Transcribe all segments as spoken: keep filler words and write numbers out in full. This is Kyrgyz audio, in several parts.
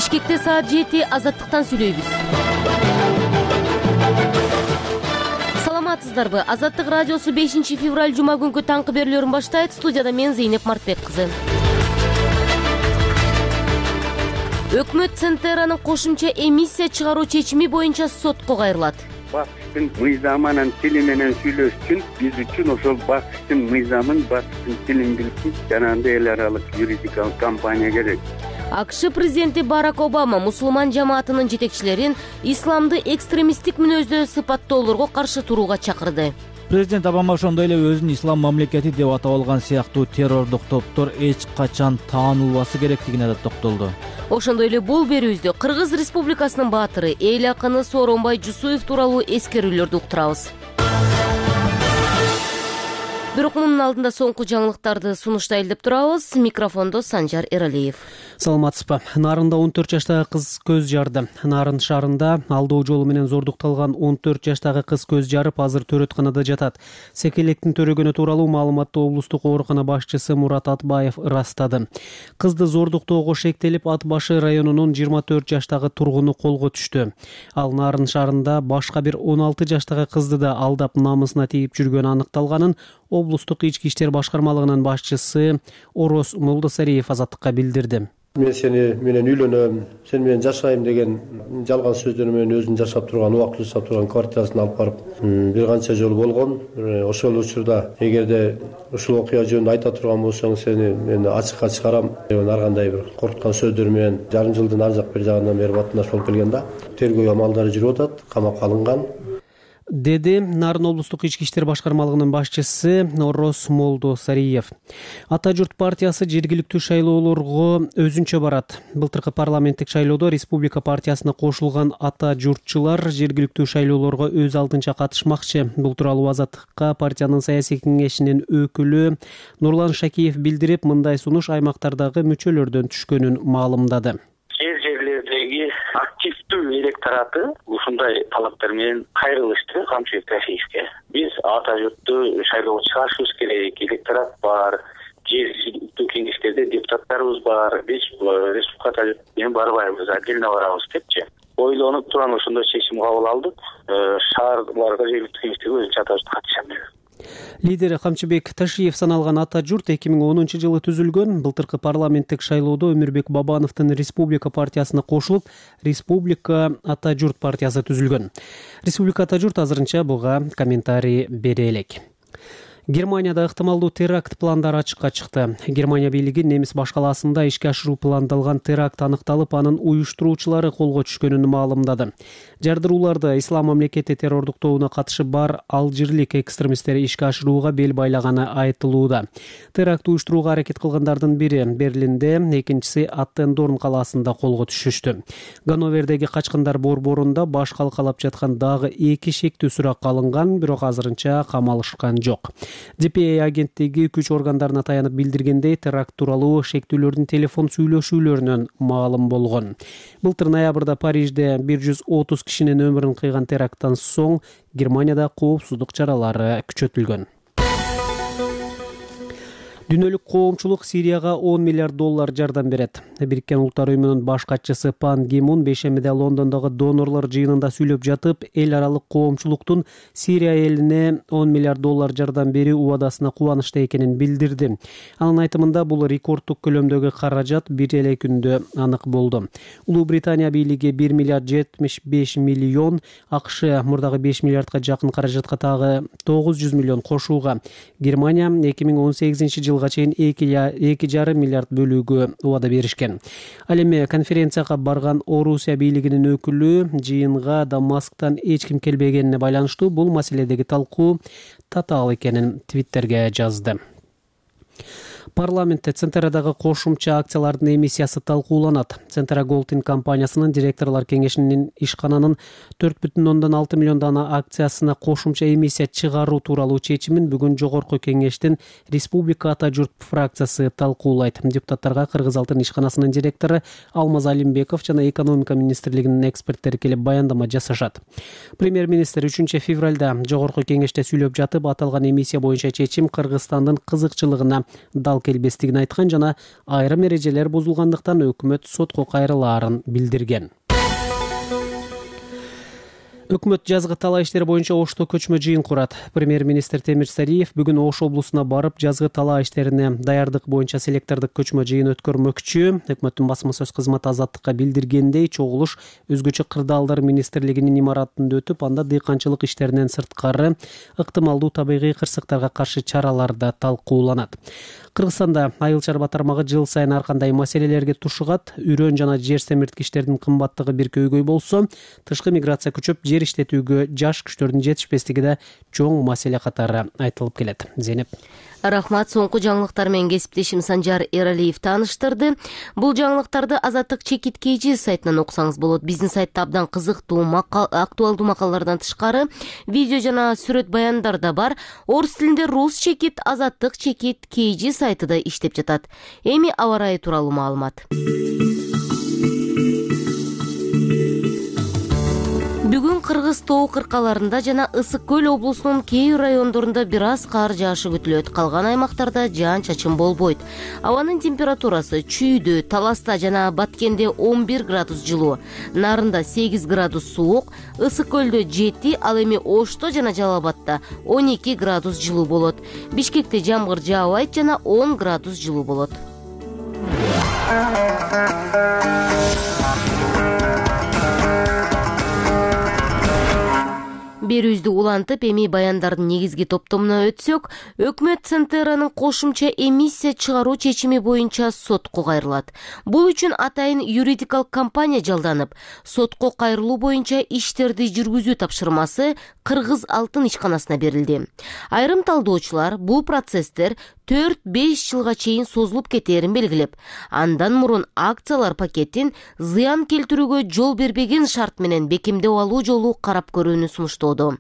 Бишкекте саат жети азаттыктан сүйлөйбүз. Саламатсыздарбы? Азаттык радиосу бешинчи февраль жума күнкү таңкы берүүлөрүн баштайт. Студияда мен Зейнеп Мартбек кызы. Өкмөт Центеранын кошумча эмиссия чыгаруу чечими боюнча сотко кайрылат. Бакыштын мыйзамынын тили менен сүйлөш үчүн биз үчүн ошол бакыштын мыйзамын, бакыштын тилин билген жанагындай эл аралык юридикалык компания керек. АКШ президенти Барак Обама мусулман жамаатынын жетекчилерин исламды экстремисттик мүнөздө сыпаттоолорго каршы турууга чакырды. Президент Обама ошондой эле өзүн ислам мамлекети деп атап алган сыяктуу террордук топтор эч качан таанылбасы керектигине да токтолду. Ошондой эле бул берүүбүздө Кыргыз Республикасынын баатыры, эл акыны Сооронбай Жусуев тууралуу эскерүүлөрдү уктурабыз. Бирок мунун алдында соңку жаңылыктарды сунуштайлы деп турабыз. Микрофондо Санжар Эралиев. Саламатсызбы? Нарында он төрт жаштагы кыз көз жарды. Нарын шаарында алдоо жолу менен зордукталган он төрт жаштагы кыз көз жарып, азыр төрөтканада жатат. Секелектин төрөгөнү тууралуу маалыматты облустук оорукана башчысы Мурат Атбаев ырастады. Кызды зордуктоого шектелип, Ат башы районунун жыйырма төрт жаштагы тургуну колго түштү. Ал Нарын шаарында башка бир он алты жаштагы кызды да алдап намысына тийип жүргөнү аныкталганын облустук ички иштер башкармалыгынын башчысы Орос Молдосариев Азаттыкка билдирди. Мен сени менен үйлөнөм, сен менен жашайм деген жалган сөздөр менен өзүн жашап турган, убактылуу жашап турган квартирасын алып барып бир канча жолу болгон. Ошол учурда эгерде ушул окуя жөнүндө айта турган болсоң, сени мен ачыкка чыгарам деген ар кандай бир коркуткан сөздөр менен жарым жылдын ар жак бир жагынан бери батнаш болуп келген да. Тергөө амалдары жүрүп атат, камакка алынган, деди Нарын облустук ички иштер башкармалыгынын башчысы Орос Молдосариев. Ата журт партиясы жергиликтүү шайлоолорго өзүнчө барат. Былтыркы парламенттик шайлоодо Республика партиясына кошулган ата журтчулар жергиликтүү шайлоолорго өз алдынча катышмакчы. Бул тууралуу Азаттыкка партиянын саясий кеңешинин өкүлү Нурлан Шакиев билдирип, мындай сунуш аймактардагы мүчөлөрдөн түшкөнүн маалымдады. Жер жерлердеги активдүү электораты ушундай талаптар менен кайрылышты Камчыбек Тахиевке. Биз ата журтту шайлоого чыгарышыбыз керек, электорат бар, жергиликтүү кеңештерде депутаттарыбыз бар, биз республика ата журт менен барбайбыз, отдельно барабыз депчи. Ойлонуп туран ошондой чечим кабыл алдык. Шаарларга жергиликтүү кеңештерге өзүнчө ата журт катышам деп. Лидери Камчыбек Ташиев саналган ата журт эки миң онунчу жылы түзүлгөн. Былтыркы парламенттик шайлоодо Өмүрбек Бабановдун Республика партиясына кошулуп, Республика ата журт партиясы түзүлгөн. Республика ата журт азырынча буга комментарий бере элек. Германияда ыктымалдуу теракт пландары ачыкка чыкты. Германия бийлиги немис башкаласында ишке ашыруу пландалган теракт аныкталып, анын уюштуруучулары колго түшкөнүн маалымдады. Жардырууларды ислам мамлекети террордук тобуна катышы бар алжирлик экстремисттер ишке ашырууга бел байлаганы айтылууда. Теракт уюштурууга аракет кылгандардын бири Берлинде, экинчиси Аттендорн калаасында колго түшүштү. Ганновердеги качкындар борборунда баш калкалап жаткан дагы эки шектүү суракка алынган, бирок азырынча камалышкан жок. ди пи эй агенттиги күч органдарына таянып билдиргендей, теракт тууралуу шектүүлөрдүн телефон сүйлөшүүлөрүнөн маалым болгон. Былтыр ноябрда Парижде бир жүз отуз кишинин өмүрүн кыйган теракттан соң Германияда коопсуздук чаралары күчөтүлгөн. Дүйнөлүк коомчулук Сирияга он миллиард доллар жардам берет. Бириккен Улуттар уюмунун баш катчысы Пан Ги Мун бейшембиде Лондондогу донорлор жыйынында сүйлөп жатып, эл аралык коомчулуктун Сирия элине он миллиард доллар жардам берүү убадасына кубанычта экенин билдирди. Анын айтымында бул рекордтук көлөмдөгү каражат бир эле күндө анык болду. Улуу Британия бийлиги бир миллиард жетимиш беш миллион, АКШ мурдагы беш миллиардка жакын каражатка тагы тогуз жүз миллион кошууга, Германия эки миң он сегизинчи жылга чейин эки жарым миллиард бөлүүгө убада беришкен. Ал эми конференцияга барган Орусия бийлигинин өкүлү жыйынга Дамасктан эч ким келбегенине байланыштуу бул маселедеги талкуу татаал экенин Твиттерге жазды. Парламентте Центерадагы кошумча акциялардын эмиссиясы талкууланат. Центера Голдин компаниясынын директорлор кеңешинин ишкананын төрт бүтүн ондон алты миллион дана акциясына кошумча эмиссия чыгаруу тууралуу чечимин бүгүн жогорку кеңештин Республика ата журт фракциясы талкуулайт. Депутаттарга Кыргыз Алтын ишканасынын директору Алмаз Алимбеков жана экономика министрлигинин эксперттери келип баяндама жасашат. Премьер-министр үчүнчү февралда жогорку кеңеште сүйлөп жатып, аталган эмиссия боюнча чечим Кыргызстандын кызыкчылыгына дал келбестигин айткан жана айрым эрежелер бузулгандыктан өкмөт сотко кайрылаарын билдирген. Өкмөт жазгы талаа иштери боюнча Ошто көчмө жыйын курат. Премьер-министр Темир Сариев бүгүн Ош облусуна барып, жазгы талаа иштерине даярдык боюнча селектордук көчмө жыйын өткөрмөкчү. Өкмөттүн басма сөз кызматы Азаттыкка билдиргендей, чогулуш өзгөчө кырдаалдар министрлигинин имаратында өтүп, анда дыйканчылык иштеринен сырткары ыктымалдуу табигый кырсыктарга каршы чаралар да талкууланат. Кыргызстанда айыл чарба тармагы жыл сайын ар кандай маселелерге тушугат. Үрөн жана жер семирткичтердин кымбаттыгы бир көйгөй болсо, тышкы миграция күчөп, жер иштетүүгө жаш күчтөрдүн жетишпестиги да чоң маселе катары айтылып келет. Зейнеп. Рахмат. Соңку жаңылыктар менен кесиптешим Санжар Эралиев тааныштырды. Бул жаңылыктарды Азаттык чекит kg сайтынан окусаңыз болот. Биздин сайтта абдан кызыктуу, актуалдуу макалалардан тышкары видео жана сүрөт баяндар да бар. Орус тилинде Рус чекит Азаттык чекит kg сайты да иштеп жатат. Эми аба ырайы тууралуу маалымат. Бүгүн Кыргыз тоо кыркаларында жана Ысык көл облусунун кээ бир райондорунда бир аз кар жаашы күтүлөт. Калган аймактарда жаан-чачын болбойт. Абанын температурасы Чүйдө, Таласта жана Баткенде он бир градус жылуу, Нарында сегиз градус суук, Ысык көлдө жети, ал эми Ошто жана Жалал Абадта он эки градус жылуу болот. Бишкекте жамгыр жаабайт жана он градус жылуу болот. Берүүбүздү улантып, эми баяндардын негизги топтомуна өтсөк, өкмөт Центеранын кошумча эмиссия чыгаруу чечими боюнча сотко кайрылат. Бул үчүн атайын юридикалык компания жалданып, сотко кайрылуу боюнча иштерди жүргүзүү тапшырмасы Кыргыз алтын ишканасына берилди. Айрым талдоочулар бул процесстер төрт беш жылга чейин созулуп кетээрин белгилеп, андан мурун акциялар пакетин зыян келтирүүгө жол бербеген шарт менен бекемдеп алуу жолу карап көрүүнү сунуштоодо.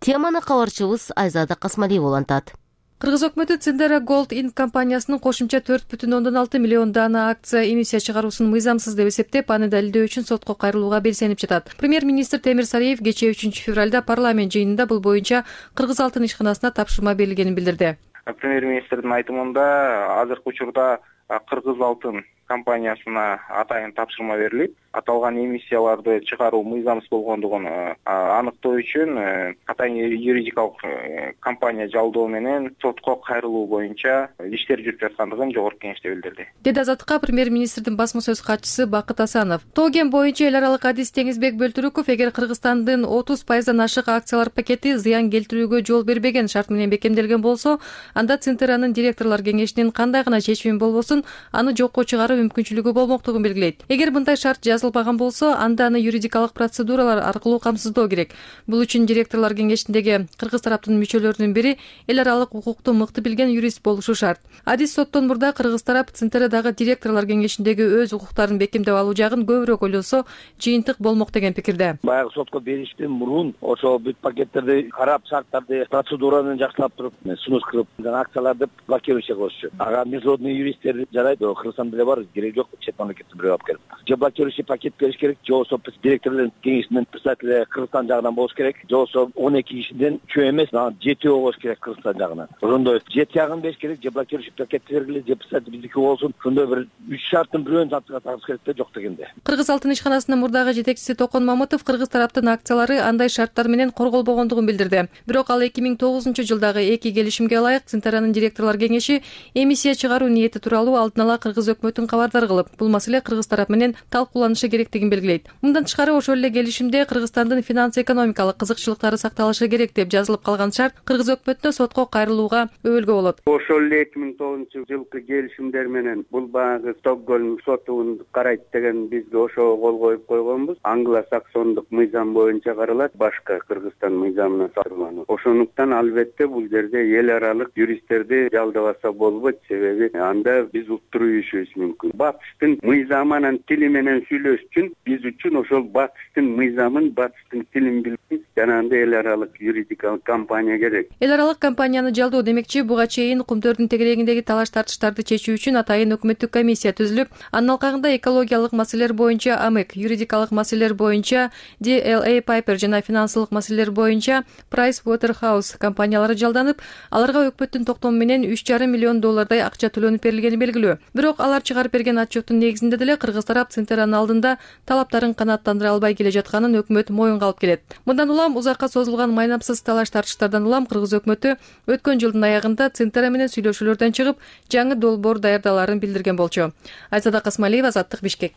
Теманы кабарчыбыз Айзада Касмалиева улантат. Кыргыз өкмөтү Цендера Gold Inc компаниясынын кошумча төрт бүтүн ондон алты миллион дана акция эмиссия чыгаруусун мыйзамсыз деп эсептеп, аны далилдөө үчүн сотко кайрылууга белсенип жатат. Премьер-министр Темир Сариев кечээ үчүнчү февралда парламент жыйынында бул боюнча Кыргыз алтын ишканасына тапшырма берилгенин билдирди. Премьер-министрдин айтымында азыркы учурда Кыргыз алтын компаниясына атайын тапшырма берилип, аталган эмиссияларды чыгаруу мыйзамсыз болгондугун аныктоо үчүн атайын юридикалык компания жалдоо менен сотко кайрылуу боюнча иштер жүрүп жаткандыгын жогорку кеңеште билдирди. Деди Азаттыкка премьер-министрдин басма сөз катчысы Бакыт Асанов. Тоген боюнча эл аралык адис Теңизбек Бөлтүрүков эгер Кыргызстандын отуз пайыздан ашык акциялар пакети зыян келтирүүгө жол бербеген шарт менен бекемделген болсо, анда Центеранын директорлор кеңешинин кандай гана чечими болбосун, аны жокко чыгаруу мүмкүнчүлүгү болмоктугун белгилейт. Эгер мындай шарт жазылбаган болсо, анда аны юридикалык процедуралар аркылуу камсыздоо керек. Бул үчүн директорлор кеңешиндеги Кыргыз тараптын мүчөлөрүнүн бири эл аралык укукту мыкты билген юрист болушу шарт. Адис соттон мурда Кыргыз тарап Центерадагы директорлор кеңешиндеги өз укуктарын бекемдеп алуу жагын көбүрөөк ойлосо, жыйынтык болмок деген пикирде. Баягы сотко бериштен мурун ошо бүт пакеттерди карап, шарттарды, процедураны жакшылап туруп, сунуш кылып, акцияларды блокировать кылышчу. Ага международный юристтер жарайт, Кыргызстанда деле бар, керек жок, чет мамлекеттен бирөө алып келип. Же блокирующий пакет бериш керек, же болбосо директорлор кеңешинин председатели Кыргызстан жагынан болуш керек, же болбосо он эки кишиден үчөө эмес, жетөө болуш керек Кыргызстан жагынан. Ошондой жети ягын бериш керек, же блокирующий пакет бергиле, же председатель биздики болсун. Ошондой бир үч шарттын бирөөнү тапшырсаңыз керек да, жок дегенде. Кыргыз алтын ишканасынын мурдагы жетекчиси Токон Мамытов Кыргыз тараптын акциялары андай шарттар менен корголбогондугун билдирди. Бирок ал эки миң тогузунчу жылдагы эки келишимге ылайык Центеранын директорлор кеңеши эмиссия чыгаруу ниети тууралуу алдын ала Кыргыз өкмөтүн кабардар кылып, бул маселе Кыргыз тарап менен талкууланышы керектигин белгилейт. Мындан тышкары ошол эле келишимде Кыргызстандын финанс-экономикалык кызыкчылыктары сакталышы керек деп жазылып калган шарт Кыргыз өкмөтүнө сотко кайрылууга өбөлгө болот. Ошол эле эки миң тогузунчу жылкы келишимдер менен бул баягы Стокгольм сотун карайт деген бизге ошого кол коюп койгонбуз. Англо-саксондук мыйзам боюнча каралат, башка Кыргызстан мыйзамына салынган. Ошондуктан албетте бул жерде эл аралык юристтерди жалдабаса болбойт, себеби анда биз уттуруп ийишибиз мүмкүн. мүмкүн. Батыстын мыйзамы анан тили менен сүйлөш үчүн биз үчүн ошол батыстын мыйзамын, батыстын тилин билген жанагындай эл аралык юридикалык компания керек. Эл аралык компанияны жалдоо демекчи, буга чейин кумтөрдүн тегерегиндеги талаш тартыштарды чечүү үчүн атайын өкмөттүк комиссия түзүлүп, анын алкагында экологиялык маселелер боюнча АМЭК, юридикалык маселелер боюнча ди эл эй Piper жана финансылык маселелер боюнча Price Waterhouse компаниялары жалданып, аларга өкмөттүн токтому менен үч жарым миллион доллардай акча төлөнүп берилгени белгилүү. Бирок алар чыгарып берген отчеттун негизинде деле кыргыз тарап Центеранын алдында талаптарын канааттандыра албай келе жатканын өкмөт моюнга алып келет. Мындан улам узакка созулган майнапсыз талаш тартыштардан улам кыргыз өкмөтү өткөн жылдын аягында Центера менен сүйлөшүүлөрдөн чыгып, жаңы долбоор даярдаларын билдирген болчу. Айсада Касмалиева, Азаттык, Бишкек.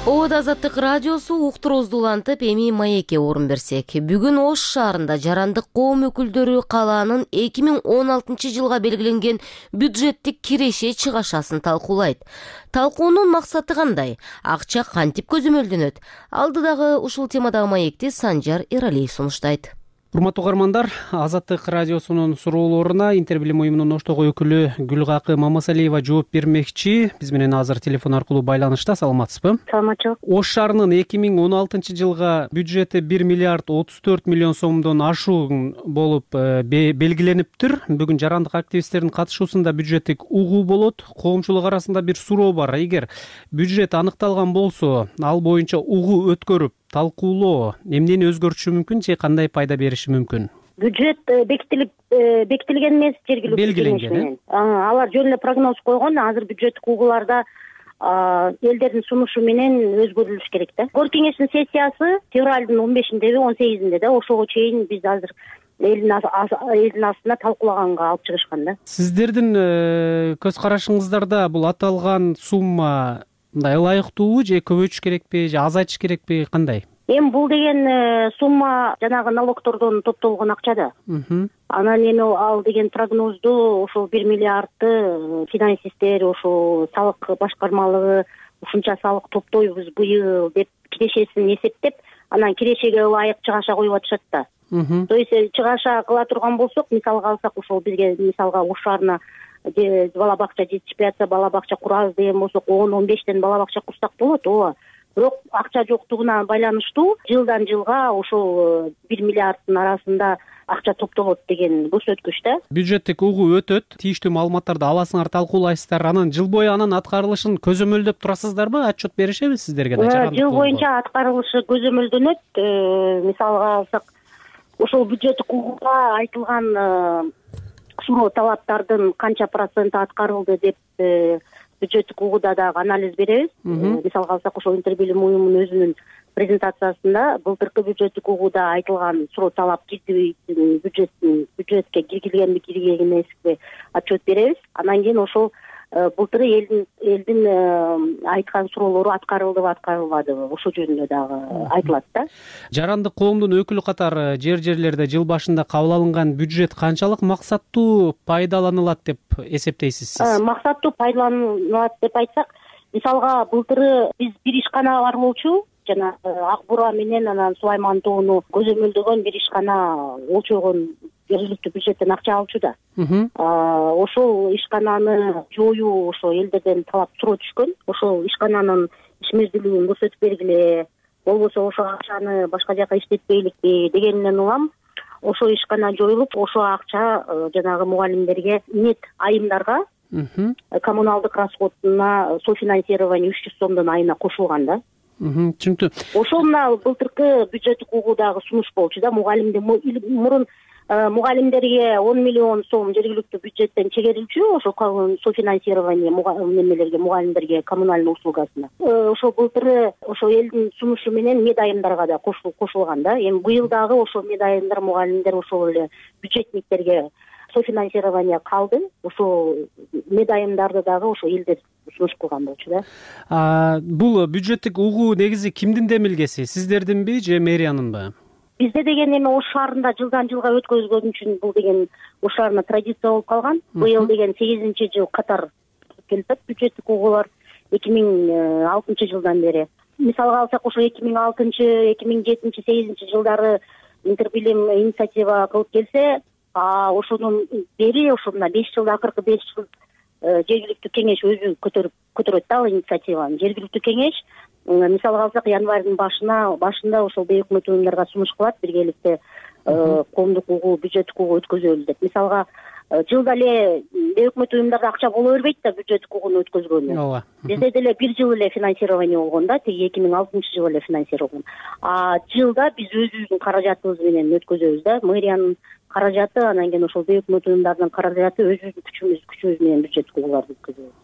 Обод Азаттык радиосу уктуруубузду улантып, эми маекке орун берсек. Бүгүн Ош шаарында жарандык коом өкүлдөрү калаанын эки миң он алтынчы жылга белгиленген бюджеттик киреше чыгашасын талкуулайт. Талкуунун максаты кандай? Акча кантип көзөмөлдөнөт? Алдыдагы ушул темадагы маекти Санжар Эралиев сунуштайт. Урматтуу угармандар, Азаттык радиосунун суроолоруна Интербилим уюмунун Оштогу өкүлү Гүлгакы Мамасалиева жооп бермекчи. Биз менен азыр телефон аркылуу байланышта. Саламатсызбы? Саламатчылык. Ош шаарынын эки миң он алтынчы жылга бюджети бир миллиард отуз төрт миллион сомдон ашуун болуп белгилениптир. Бүгүн жарандык активисттердин катышуусунда бюджеттик угуу болот. Коомчулук арасында бир суроо бар. Эгер бюджет аныкталган болсо, ал боюнча угуу өткөрүп талкуулоо эмнени өзгөртүшү мүмкүн же кандай пайда бериши мүмкүн? Бюджет бекитилип бекитилген эмес, жергиликтүү белгиленген. Алар жөн эле прогноз койгон. Азыр бюджеттик угууларда элдердин сунушу менен өзгөрүлүш керек да. Ор кеңештин сессиясы февралдын он бешиндеби, он сегизинде да, ошого чейин биз азыр элдин элдин астына талкуулаганга алып чыгышкан да. Сиздердин көз карашыңыздарда бул аталган сумма мындай ылайыктуубу же көбөйтүш керекпи же азайтыш керекпи, кандай? Эми бул деген сумма жанагы налогтордон топтолгон акча да. Анан эми ал деген прогнозду ошол бир миллиардты финансисттер, ошол салык башкармалыгы ушунча салык топтойбуз быйыл деп кирешесин эсептеп, анан кирешеге ылайык чыгаша коюп атышат да. То есть чыгаша кыла турган болсок, мисалга алсак, ошол бизге мисалга Ош шаарына бала бакча жетишпей атса, бала бакча курабыз деген болсок, он он бештен бала бакча курсак болот, ооба. Бирок акча жоктугуна байланыштуу жылдан жылга ошол бир миллиарддын арасында акча топтолот деген көрсөткүч да. Бюджеттик угуу өтөт, тийиштүү маалыматтарды аласыңар, талкуулайсыздар. Анан жыл бою анын аткарылышын көзөмөлдөп турасыздарбы? Отчет беришеби сиздерге да? Жыл боюнча аткарылышы көзөмөлдөнөт. Мисалга алсак, ошол бюджеттик угууда айтылган суроо талаптардын канча проценти аткарылды деп бюджеттик угууда дагы анализ беребиз. Мисалга алсак, ошол Интербилим уюмунун өзүнүн презентациясында былтыркы бюджеттик угууда айтылган суроо талап кирдиби, бюджеттин бюджетке киргизилгенби, киргизилген эмеспи отчет беребиз. Анан кийин ошол былтыры элдин элдин айткан суроолору аткарылдыбы, аткарылбадыбы, ошол жөнүндө дагы айтылат да. Жарандык коомдун өкүлү катары жер жерлерде жыл башында кабыл алынган бюджет канчалык максаттуу пайдаланылат деп эсептейсиз сиз? Максаттуу пайдаланылат деп айтсак, мисалга былтыры биз бир ишкана бар болчу, жана Ак Бура менен анан Сулайман тоону көзөмөлдөгөн бир ишкана өлчөгөн жергиликтүү бюджеттен акча алчу да. Ошол ишкананы жоюу ошо элдерден талап суроо түшкөн. Ошол ишкананын ишмердүүлүгүн көрсөтүп бергиле, болбосо ошол акчаны башка жака иштетпейликпи дегенден улам ошол ишкана жоюлуп, ошол акча жанагы мугалимдерге нет айымдарга коммуналдык расходуна софинансирование үч жүз сомдон айына кошулган да. Түшүнүктүү. Ошол мына былтыркы бюджеттик угуудагы сунуш болчу да. Мугалимдер мурун мугалимдерге он миллион сом жергиликтүү бюджеттен чегерилчү, ошол софинансирование немелерге, мугалимдерге коммунальный услугасына. Ошол былтыры ошол элдин сунушу менен медайымдарга да кошулган да. Эми быйыл дагы ошол медайымдар, мугалимдер ошол эле бюджетниктерге софинансирование калды. Ошол медайымдарды дагы ошо элдер сунуш кылган болчу да. Бул бюджеттик угуу негизи кимдин демилгеси? Сиздердинби же мэриянынбы? Бизде деген эми Ош шаарында жылдан жылга өткөзгөн үчүн бул деген Ош шаарына традиция болуп калган. Быйыл деген сегизинчи жыл катар келип атат бюджеттик угуулар эки миң алтынчы жылдан бери. Мисалга алсак, ошо эки миң алтынчы, эки миң жетинчи, сегизинчи жылдары Интербилим инициатива кылып келсе, а ошондон бери ошо мына беш жылда акыркы беш жыл жергиликтүү кеңеш өзү көтөрүп көтөрөт да ал инициативаны. Жергиликтүү кеңеш мисалга алсак январдын башына башында ошол бейөкмөт уюмдарга сунуш кылат биргеликте коомдук угуу бюджеттик угуу өткөзөлү деп. Мисалга жылда эле бейөкмөт уюмдарда акча боло бербейт да бюджеттик угууну өткөзгөнү. Ооба. Бизде деле бир жыл эле финансирование болгон да, тиги эки миң алтынчы жылы эле финансирование. А жылда биз өзүбүздүн каражатыбыз менен өткөзөбүз да. Мэриянын каражаты, анан кийин ошол бейөкмөт уюмдардын каражаты өзүбүздүн күчүбүз күчүбүз менен бюджеттик угууларды өткөзөбүз.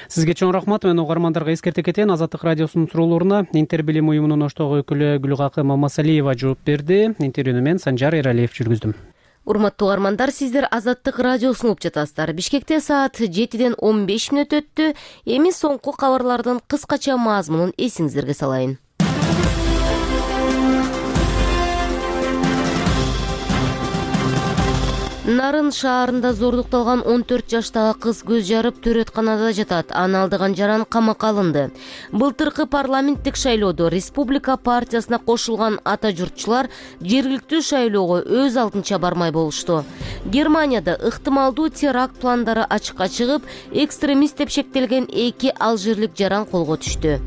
Сизге чоң рахмат. Мен угармандарга эскерте кетейин. Азаттык радиосунун суроолоруна Интер билим уюмунун оштогу өкүлү Гүлгакы Мамасалиева жооп берди. Интервьюну мен Санжар Эралиев жүргүздүм. Урматтуу угармандар, сиздер Азаттык радиосун угуп жатасыздар. Бишкекте саат жетиден он беш мүнөт өттү. Эми соңку кабарлардын кыскача мазмунун эсиңиздерге салайын. Нарын шаарында зордукталган он төрт жаштагы кыз көз жарып төрөтканада жатат. Аны алдыган жаран камакка алынды. Былтыркы парламенттик шайлоодо Республика партиясына кошулган ата журтчулар жергиликтүү шайлоого өз алдынча бармай болушту. Германияда ыктымалдуу теракт пландары ачыкка чыгып, экстремист деп шектелген эки алжирлик жаран колго түштү.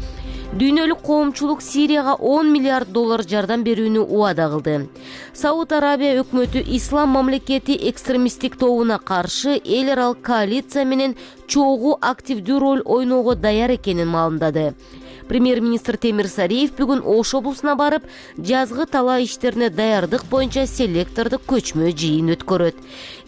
Дүйнөлүк коомчулук Сирияга он миллиард доллар жардам берүүнү убада кылды. Сауд Арабия өкмөтү ислам мамлекети экстремисттик тобуна каршы эл аралык коалиция менен чогуу активдүү роль ойноого даяр экенин маалымдады. Премьер-министр Темир Сариев бүгүн Ош облусуна барып, жазгы талаа иштерине даярдык боюнча селектордук көчмө жыйын өткөрөт.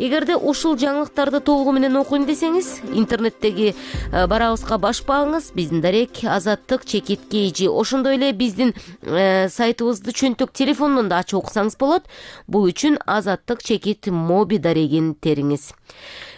Эгерде ушул жаңылыктарды толугу менен окуйм десеңиз, интернеттеги барабызга башпаңыз, биздин дарек Азаттык чекит kg. Ошондой эле биздин сайтыбызды чөнтөк телефондон да ачып окусаңыз болот. Бул үчүн Азаттык чекит моби дарегин териңиз.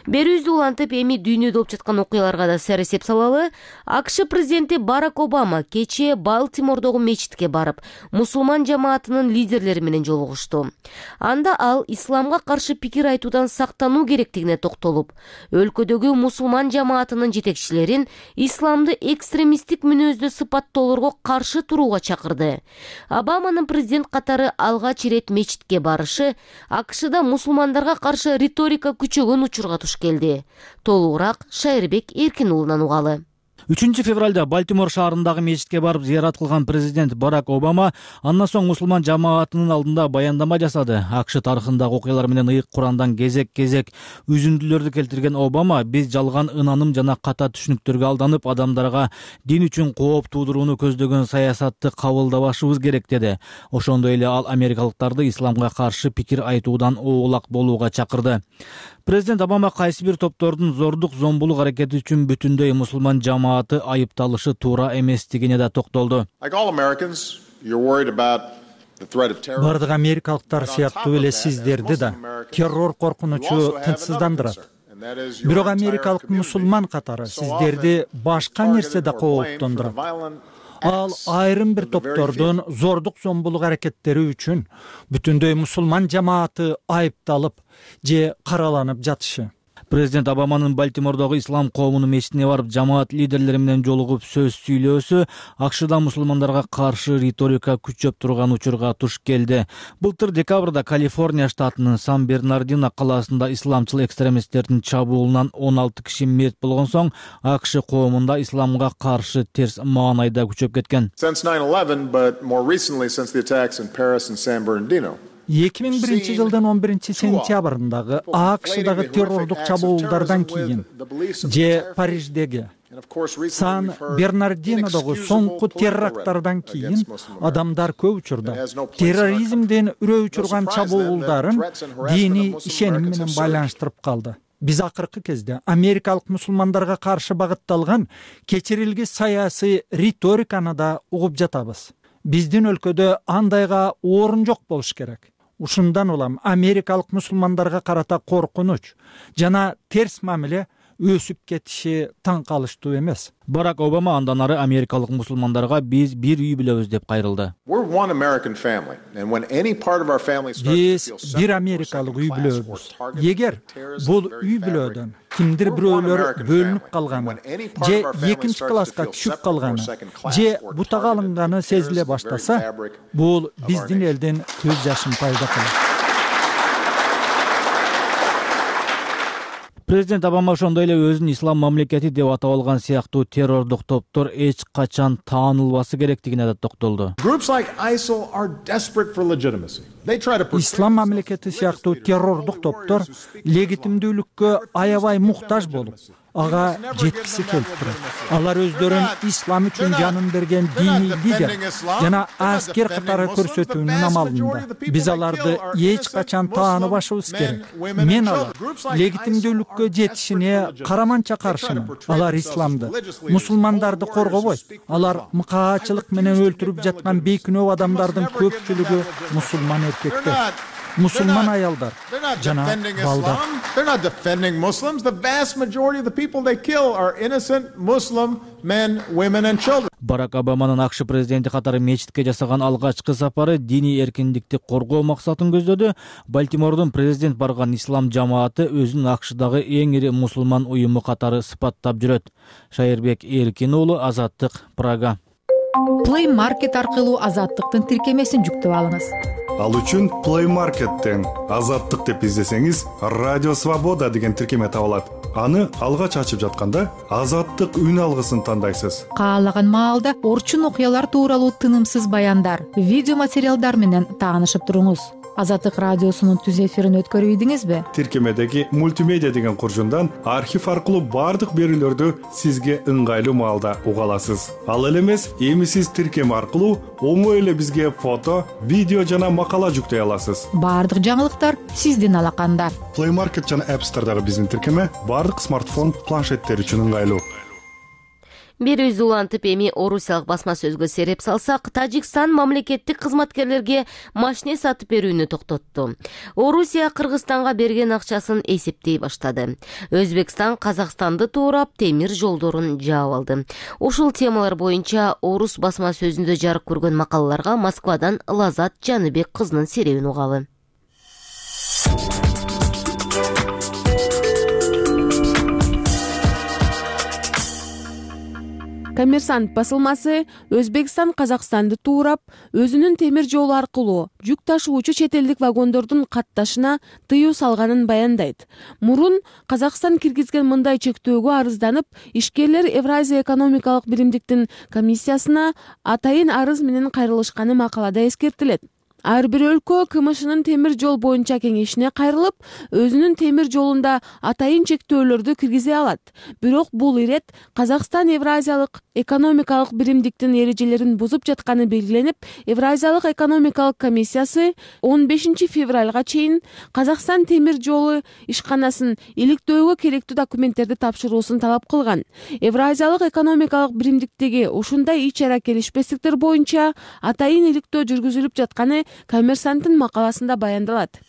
Берүүбүздү улантып, эми дүйнөдө болуп жаткан окуяларга да сер эсеп салалы. АКШ президенти Барак Обама кечээ Балтимордогу мечитке барып, мусулман жамаатынын лидерлери менен жолугушту. Анда ал исламга каршы пикир айтуудан сактануу керектигине токтолуп, өлкөдөгү мусулман жамаатынын жетекчилерин исламды экстремисттик мүнөздө сыпаттоолорго каршы турууга чакырды. Обаманын президент катары алгач ирет мечитке барышы АКШда мусулмандарга каршы риторика күчөгөн учурга туш келди. Толугураак Шайырбек Эркин уулунан угалы. үчүнчү февралда Балтимор шаарындагы мечитке барып зыярат кылган президент Барак Обама андан соң мусулман жамаатынын алдында баяндама жасады. АКШ тарыхындагы окуялар менен ыйык Курандан кезек-кезек үзүндүлөрдү келтирген Обама биз жалган ынаным жана ката түшүнүктөргө алданып, адамдарга дин үчүн кооп туудурууну көздөгөн саясатты кабылдабашыбыз керек деди. Ошондой эле ал америкалыктарды исламга каршы пикир айтуудан оолак болууга чакырды. Президент Обама кайсы бир топтордун зордук зомбулук аракети үчүн бүтүндөй мусулман жамааты айыпталышы туура эместигине да токтолду. Бардык америкалыктар сыяктуу эле сиздерди да террор коркунучу тынчсыздандырат. Бирок америкалык мусулман катары сиздерди башка нерсе да кооптондурат. Ал айрым бир топтордун зордук зомбулук аракеттери үчүн бүтүндөй мусулман жамааты айыпталып же караланып жатышы. Президент Обаманын Балтимордогу ислам коомунун мечитине барып, жамаат лидерлери менен жолугуп сөз сүйлөөсү АКШда мусулмандарга каршы риторика күчөп турган учурга туш келди. Былтыр декабрда Калифорния штатынын Сан-Бернардино калаасында исламчыл экстремисттердин чабуулунан он алты киши мерт болгон соң АКШ коомунда исламга каршы терс маанайда күчөп кеткен. эки миң биринчи жылдын он биринчи сентябрындагы АКШдагы террордук чабуулдардан кийин же Париждеги Сан-Бернардинодогу соңку теракттардан кийин адамдар көп учурда терроризмден үрөө учурган чабуулдарын диний ишеним менен байланыштырып калды. Биз акыркы кезде америкалык мусулмандарга каршы багытталган кечирилгис саясий риториканы да угуп жатабыз. Биздин өлкөдө андайга орун жок болуш керек. Ушундан улам америкалык мусулмандарга карата коркунуч жана терс мамиле өсүп кетиши таң калыштуу эмес. Барак Обама андан ары америкалык мусулмандарга биз бир үй бүлөбүз деп кайрылды. Биз бир америкалык үй бүлөбүз. Эгер бул үй бүлөдөн кимдир бирөөлөр бөлүнүп калганы же экинчи класска түшүп калганы же бутага алынганы сезиле баштаса, бул биздин элдин көз жашын пайда кылат. Президент Обама ошондой эле өзүн ислам мамлекети деп атап алган сыяктуу террордук топтор эч качан таанылбасы керектигине да токтолду. Ислам мамлекети сыяктуу террордук топтор легитимдүүлүккө аябай муктаж болуп, ага жеткиси келип турат. Алар өздөрүн ислам үчүн жанын берген диний лидер жана аскер катары көрсөтүүнүн амалында. Биз аларды эч качан тааныбашыбыз керек. Мен алар легитимдүүлүккө жетишине караманча каршымын. Алар исламды, мусулмандарды коргобойт. Алар мыкаачылык менен өлтүрүп жаткан бейкүнөө адамдардын көпчүлүгү мусулман эркектер, мусулман аялдар жана балдар. They're not defending Muslims. The vast majority of the people they kill are innocent Muslim men, women and children. Барак Обаманын АКШ президенти катары мечитке жасаган алгачкы сапары диний эркиндикти коргоо максатын көздөдү. Балтимордун президент барган ислам жамааты өзүн АКШдагы эң ири мусулман уюму катары сыпаттап жүрөт. Шайырбек Эркин уулу, Азаттык, Прага. Play Market аркылуу Азаттыктын тиркемесин жүктөп алыңыз. Ал үчүн Play Market'тен Азаттык деп издесеңиз, Радио Свобода деген тиркеме табылат. Аны алгач ачып жатканда Азаттык үн алгысын тандайсыз. Каалаган маалда орчун окуялар тууралуу тынымсыз баяндар, видео материалдар менен таанышып туруңуз. Азаттык радиосунун түз эфирин өткөрүбүдүңүзбү? Тиркемедеги мультимедиа деген куржундан архив аркылуу бардык берүүлөрдү сизге ыңгайлуу маалда уга аласыз. Ал эле эмес, эми сиз тиркеме аркылуу оңой эле бизге фото, видео жана макала жүктөй аласыз. Бардык жаңылыктар сиздин алаканда. Play Market жана App Store'дагы биздин тиркеме бардык смартфон, планшеттер үчүн ыңгайлуу. Бир үз улантып эми орусиялык басма сөзгө сереп салсак, Тажикстан мамлекеттик кызматкерлерге машине сатып берүүнү токтотту. Орусия Кыргызстанга берген акчасын эсептей баштады. Өзбекстан Казакстанды туурап темир жолдорун жаап алды. Ушул темалар боюнча орус басма сөзүндө жарык көргөн макалаларга Москвадан Лазат Жаныбек кызынын серебин угалы. Коммерсант басылмасы Өзбекстан Казакстанды туурап, өзүнүн темир жолу аркылуу жүк ташуучу чет элдик вагондордун катташына тыюу салганын баяндайт. Мурун Казакстан киргизген мындай чектөөгө арызданып, ишкерлер Евразия экономикалык биримдиктин комиссиясына атайын арыз менен кайрылышканы макалада эскертилет. Ар бир өлкө КМШнын темир жол боюнча кеңешине кайрылып, өзүнүн темир жолунда атайын чектөөлөрдү киргизе алат. Бирок бул ирет Казакстан Евразиялык экономикалык биримдиктин эрежелерин бузуп жатканы белгиленип, Евразиялык экономикалык комиссиясы он бешинчи февралга чейин Казакстан темир жолу ишканасын иликтөөгө керектүү документтерди тапшыруусун талап кылган. Евразиялык экономикалык биримдиктеги ушундай ич-чара келишпестиктер боюнча атайын иликтөө жүргүзүлүп жатканы Коммерсанттын макаласында баяндалат.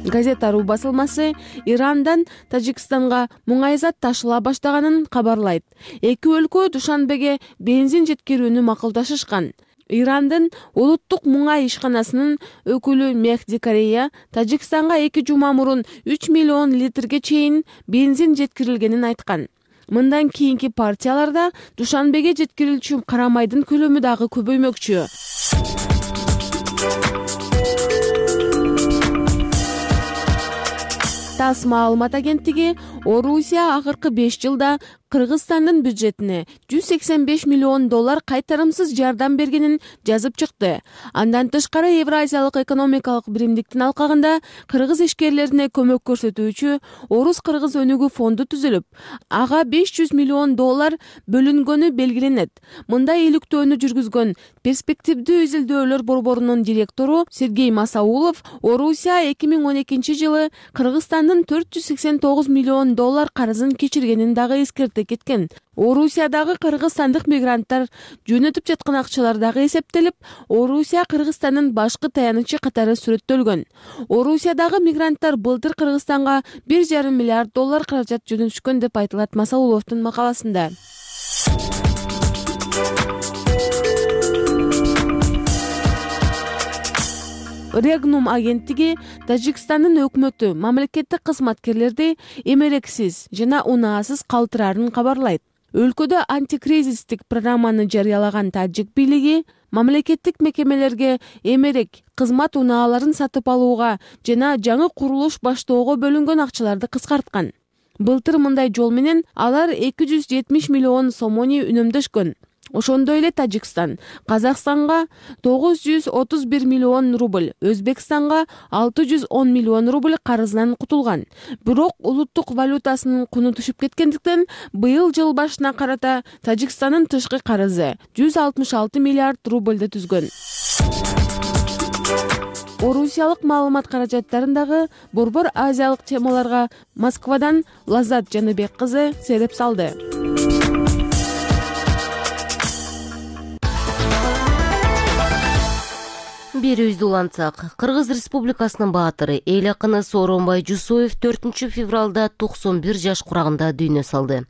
Газета.ру басылмасы Ирандан Тажикстанга муңайзат ташыла баштаганын кабарлайт. Эки өлкө Душанбеге бензин жеткирүүнү макулдашышкан. Ирандын улуттук муңай ишканасынын өкүлү Мехди Корея Тажикстанга эки жума мурун үч миллион литрге чейин бензин жеткирилгенин айткан. Мындан кийинки партияларда Душанбеге жеткирилчү карамайдын көлөмү дагы көбөймөкчү. ТАСС маалымат агенттиги Орусия акыркы беш жылда Кыргызстандын бюджетине жүз сексен беш миллион доллар кайтарымсыз жардам бергенин жазып чыкты. Андан тышкары Евразиялык экономикалык биримдиктин алкагында кыргыз ишкерлерине көмөк көрсөтүүчү Орус-Кыргыз өнүгүү фонду түзүлүп, ага беш жүз миллион доллар бөлүнгөнү белгиленет. Мындай иликтөөнү жүргүзгөн перспективдүү изилдөөлөр борборунун директору Сергей Масаулов Орусия эки миң он экинчи жылы Кыргызстандын төрт жүз сексен тогуз миллион доллар карызын кечиргенин дагы эскерте кеткен. Орусиядагы кыргызстандык мигранттар жөнөтүп жаткан акчалар дагы эсептелип, Орусия Кыргызстандын башкы таянычы катары сүрөттөлгөн. Орусиядагы мигранттар былтыр Кыргызстанга бир жарым миллиард доллар каражат жөнөтүшкөн деп айтылат Масауловдун макаласында. Регнум агенттиги Тажикстандын өкмөтү мамлекеттик кызматкерлерди эмерексиз жана унаасыз калтырарын кабарлайт. Өлкөдө антикризистик программаны жарыялаган тажик бийлиги мамлекеттик мекемелерге эмерек кызмат унааларын сатып алууга жана жаңы курулуш баштоого бөлүнгөн акчаларды кыскарткан. Былтыр мындай жол менен алар эки жүз жетимиш миллион сомони үнөмдөшкөн. Ошондой эле Тажикстан Казакстанга тогуз жүз отуз бир миллион рубль, Өзбекстанга алты жүз он миллион рубль карызынан кутулган. Бирок улуттук валютасынын куну түшүп кеткендиктен быйыл жыл башына карата Тажикстандын тышкы карызы жүз алтымыш алты миллиард рубльды түзгөн. Орусиялык маалымат каражаттарындагы борбор азиялык темаларга Москвадан Лаззат Жаныбек кызы сереп салды. Берүүбүздү улантсак, Кыргыз Республикасынын баатыры, эл акыны Сооронбай Жусуев төртүнчү февралда токсон бир жаш курагында дүйнө салды.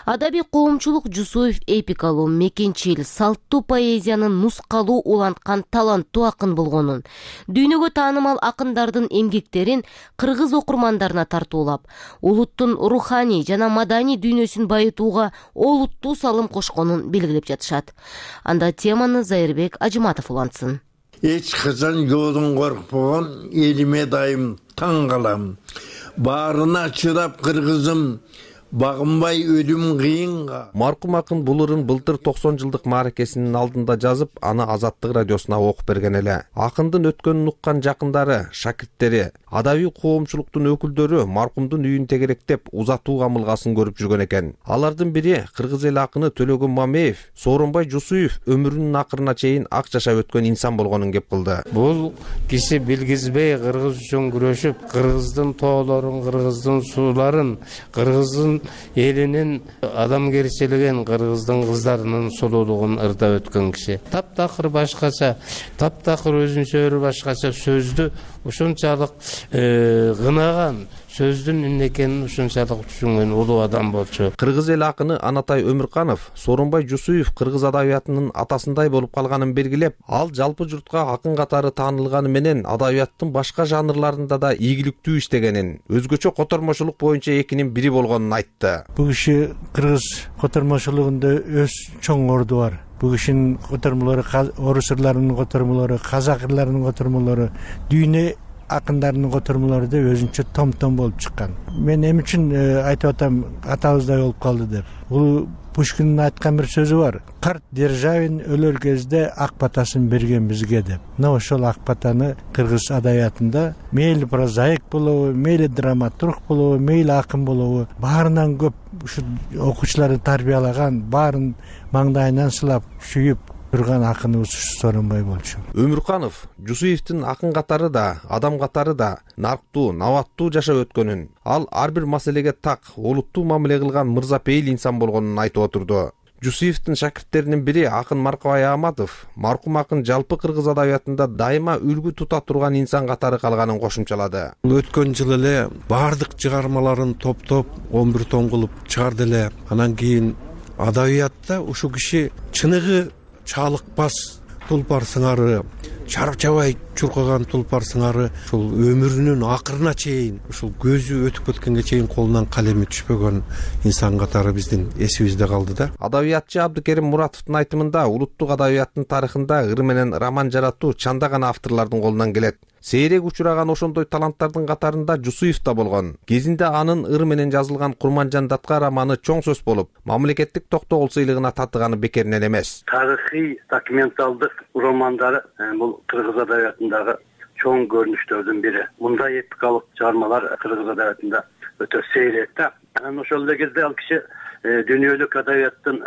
Адабий коомчулук Жусуев эпикалуу, мекенчил, салттуу поэзиянын нускалуу уланткан таланттуу акын болгонун, дүйнөгө таанымал акындардын эмгектерин кыргыз окурмандарына тартуулап, улуттун руханий жана маданий дүйнөсүн байытууга олуттуу салым кошконун белгилеп жатышат. Анда теманы Зайырбек Ажыматов улантсын. Эч качан жолдон коркпогон элиме дайым таң калам. Баарына чыдап кыргызым, багынбай өлүм кыйынга. Маркум акын бул ырын былтыр токсон жылдык мааракесинин алдында жазып, аны Азаттык радиосуна окуп берген эле. Акындын өткөнүн уккан жакындары, шакирттери, адабий коомчулуктун өкүлдөрү маркумдун үйүн тегеректеп узатуу камылгасын көрүп жүргөн экен. Алардын бири кыргыз эл акыны Төлөгөн Мамеев, Сооронбай Жусуев өмүрүнүн акырына чейин ак жашап өткөн инсан болгонун кеп кылды. Бул киши билгизбей кыргыз үчүн күрөшүп, кыргыздын тоолорун, кыргыздын сууларын, кыргыздын элинин адамгерчилигин, кыргыздын кыздарынын сулуулугун ырдап өткөн киши. Таптакыр башкача, таптакыр өзүнчө башкача сөздү ушунчалык гынаган, сөздүн эмне экенин ушунчалык түшүнгөн улуу адам болчу. Кыргыз эл акыны Анатай Өмүрканов Сооронбай Жусуев кыргыз адабиятынын атасындай болуп калганын белгилеп, ал жалпы журтка акын катары таанылганы менен адабияттын башка жанрларында да ийгиликтүү иштегенин, өзгөчө котормочулук боюнча экинин бири болгонун айтты. Бул киши кыргыз котормочулугунда өз чоң орду бар. Бул кишинин котормолору, орус ырларынын котормолору, казак ырларынын котормолору, дүйнө акындарынын котормолору да өзүнчө том-том болуп чыккан. Мен эми үчүн айтып атам, атабыздай болуп калды деп. Бул Пушкиндин айткан бир сөзү бар. Карт Державин өлөр кезде ак батасын берген бизге деп. Мына ошол ак батаны кыргыз адабиятында мейли прозаик болобу, мейли драматург болобу, мейли акын болобу, баарынан көп ушу окуучуларды тарбиялаган, баарын маңдайынан сылап, сүйүп турган акыныбыз Сооронбай болчу. Өмүрканов Жусуевдин акын катары да, адам катары да нарктуу, наваттуу жашап өткөнүн, ал ар бир маселеге так, олуттуу мамиле кылган мырзапейил инсан болгонун айтып отурду. Жусуевдин шакирттеринин бири акын Маркабай Ааматов маркум акын жалпы кыргыз адабиятында дайыма үлгү тута турган инсан катары калганын кошумчалады. Өткөн жылы эле баардык чыгармаларын топтоп он бир том кылып чыгарды эле. Анан кийин адабиятта ушу киши чыныгы чалыкпас тулпар сыңары, чарчабай чуркаган тулпар сыңары, ушул өмүрүнүн акырына чейин, ушул көзү өтүп кеткенге чейин колунан калеми түшпөгөн инсан катары биздин эсибизде калды да. Адабиятчы Абдыкерим Муратовдун айтымында улуттук адабияттын тарыхында ыр менен роман жаратуу чанда гана авторлордун колунан келет. Сейрек учураган ошондой таланттардын катарында Жусуев да болгон. Кезинде анын ыр менен жазылган Курманжан Датка романы чоң сөз болуп, мамлекеттик токтогул сыйлыгына татыганы бекеринен эмес. Тарыхый документалдык романдары бул кыргыз адабиятындагы чоң көрүнүштөрдүн бири. Мындай эпикалык чыгармалар кыргыз адабиятында өтө сейрек да. Анан ошол эле кезде ал киши дүйнөлүк адабияттын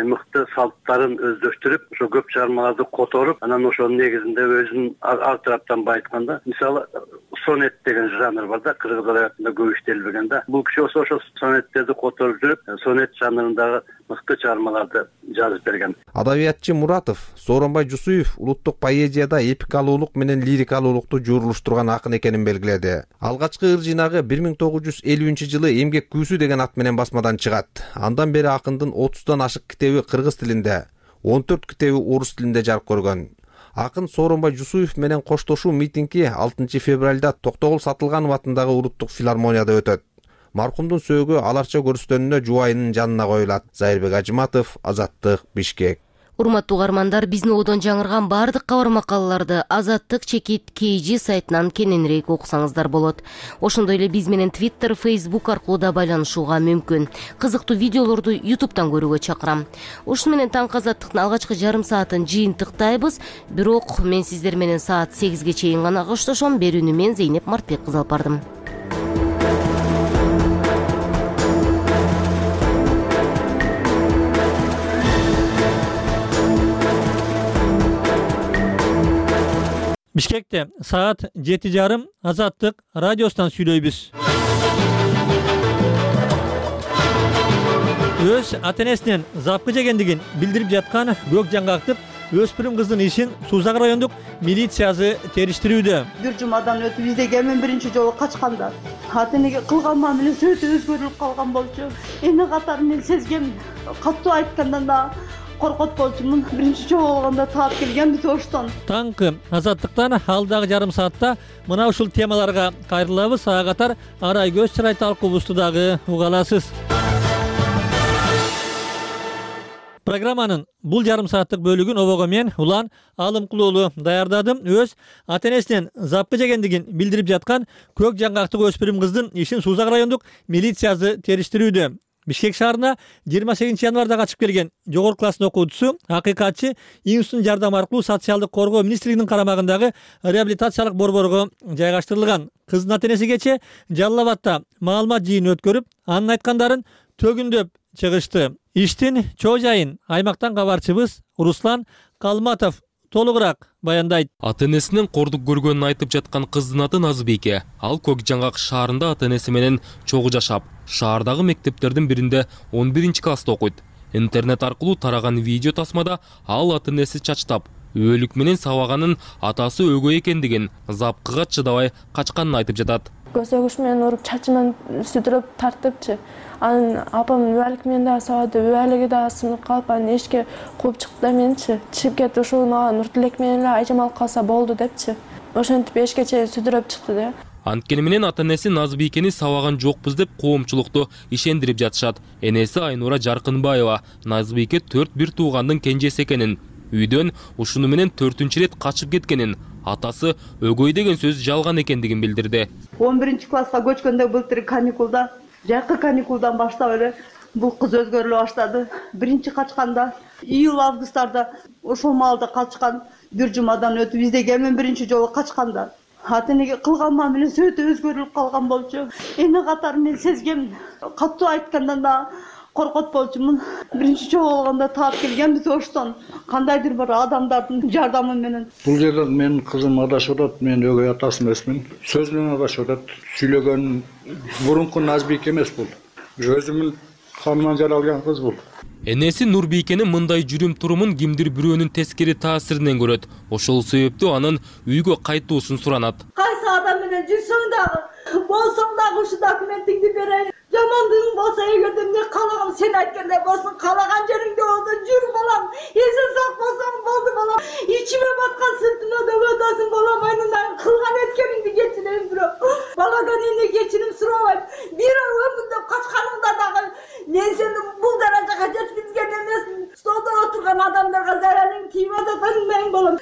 мыкты салттарын өздөштүрүп, ошо көп чыгармаларды которуп, анан ошонун негизинде өзүн ар тараптан байытканда, мисалы сонет деген жанр бар да, кыргыз адабиятында көп иштелбеген да. Бул киши ошо ошо сонеттерди которуп жүрүп, сонет жанрындагы мыкты чыгармаларды жазып берген. Адабиятчы Муратов Сооронбай Жусуев улуттук поэзияда эпикалуулук менен лирикалуулукту жуурулуштурган акын экенин белгиледи. Алгачкы ыр жыйнагы бир миң тогуз жүз элүүнчү жылы Эмгек күүсү деген ат менен басмадан чыгат. Андан бери акындын отуздан ашык китеби кыргыз тилинде, он төрт китеби орус тилинде жарык көргөн. Акын Сооронбай Жусуев менен коштошуу митинги алтынчы февралда Токтогул Сатылганов атындагы улуттук филармонияда өтөт. Маркумдун сөөгү аларча көрүстөнүнө жубайынын жанына коюлат. Зайырбек Ажыматов, Азаттык, Бишкек. Урматтуу угармандар, биздин одон жаңырган баардык кабар макалаларды Азаттык чекит кей жи сайтынан кененирээк окусаңыздар болот. Ошондой эле биз менен Twitter, Facebook аркылуу да байланышууга мүмкүн. Кызыктуу видеолорду YouTube'дан көрүүгө чакырам. Ушуну менен таңкы Азаттыктын алгачкы жарым саатын жыйынтыктайбыз. Бирок мен сиздер менен саат сегизге чейин гана коштошом. Берүүнү мен Зейнеп Мартбек кызы алып бардым. Бишкекте саат жети жарым Азаттык радиосунан сүйлөйбүз. Өз ата-энесинен запкы жегендигин билдирип жаткан көк жаңгактык өспүрүм кыздын ишин Сузак райондук милициясы териштирүүдө. Бир жумадан өтүп издеген мен биринчи жолу качканда ата-энеге кылган мамилеси өтө өзгөрүлүп калган болчу. Эми катары мен сезгем, каттуу айткандан да коркот болчумун. Биринчи жолу болгондо таап келген биз оштон. Таңкы Азаттыктан алдагы жарым саатта мына ушул темаларга кайрылабыз. Ага катар Арай көз чырай талкуубузду дагы уга аласыз. Программанын бул жарым сааттык бөлүгүн обого мен Улан Алымкулуулу даярдадым. Өз ата-энесинен запкы жегендигин билдирип жаткан көк жаңгактык өспүрүм кыздын ишин Сузак райондук милициясы териштирүүдө. Бишкек шаарына жыйырма сегизинчи январда качып келген жогорку класстын окуучусу акыйкатчы Институтун жардамы аркылуу социалдык коргоо министрлигинин карамагындагы реабилитациялык борборго жайгаштырылган. Кыздын ата-энеси кече Жалал Абадта маалымат жыйын өткөрүп, анын айткандарын төгүндөп чыгышты. Иштин чоо жайын аймактан кабарчыбыз Руслан Калматов толугураак баяндайт. Ата-энесинен кордук көргөнүн айтып жаткан кыздын аты Назбике. Ал Көк Жаңгак шаарында ата-энеси менен чогуу жашап, шаардагы мектептердин биринде он биринчи класста окуйт. Интернет аркылуу тараган видео тасмада ал ата-энеси чачтап, өлүк менен сабаганын, атасы өгөй экендигин, запкыга чыдабай качканын айтып жатат. Көзөгүш менен уруп, чачыман сүдүрөп тартыпчы. Анын апам үбөлүк менен да сабады, үбөлүгү да сынып калып, анын эшикке кууп чыкты да менчи. Чыгып кетти, ушул мага Нуртилек менен эле айжамал калса болду депчи. Ошентип эшикке чейин сүдүрөп чыкты да. Анткени менен ата-энеси Назбикени сабаган жокпуз деп коомчулукту ишендирип жатышат. Энеси Айнура Жаркынбаева Назбике төрт бир туугандын кенжеси экенин, үйдөн ушуну менен төртүнчү ирет качып кеткенин, атасы өгөй деген сөз жалган экендигин билдирди. он биринчи класска көчкөндө былтыр каникулда, жакы каникулдан баштап эле бул кыз өзгөрүлө баштады. Биринчи качканда июль-августтарда ошол маалда качкан. Бир жумадан өтүп издеген мен биринчи жолу качканда ата-энеге кылган мамилеси өтө өзгөрүлүп калган болчу. Эми катары мен сезгем, каттуу айткандан да коркот болчумун. Биринчи жолу болгондо таап келген биз оштон. Кандайдыр бир адамдардын жардамы менен. Бул жерде менин кызым адашып атат, мен өгөй атасы эмесмин. Сөз менен адашып атат. Сүйлөгөн мурунку Назбик эмес бул. Өзүмүн каныман жаралган кыз бул. Энеси Нурбийкенин мындай жүрүм турумун кимдир бирөөнүн тескери таасиринен көрөт. Ошол себептүү анын үйгө кайтуусун суранат. Кайсы адам менен жүрсөң дагы, болсоң дагы ушу документиңди берейин. Жамандыгың болсо эгерде эмне каалаган сен айткандай болсун, каалаган жериңде болсо жүр балам. Эсен сак болсоң болду балам. Ичиме баткан сыртыма да өтөсүң балам. Айнынан кылган эткениңди кечирейин бирок. Баладан эмне кечирим сурабайм. Бир өмүрдөп качканыңда дагы мен сени бул даражага жеткизген эмесмин. Столдо отурган адамдарга зарарың тийип атат айнайын балам.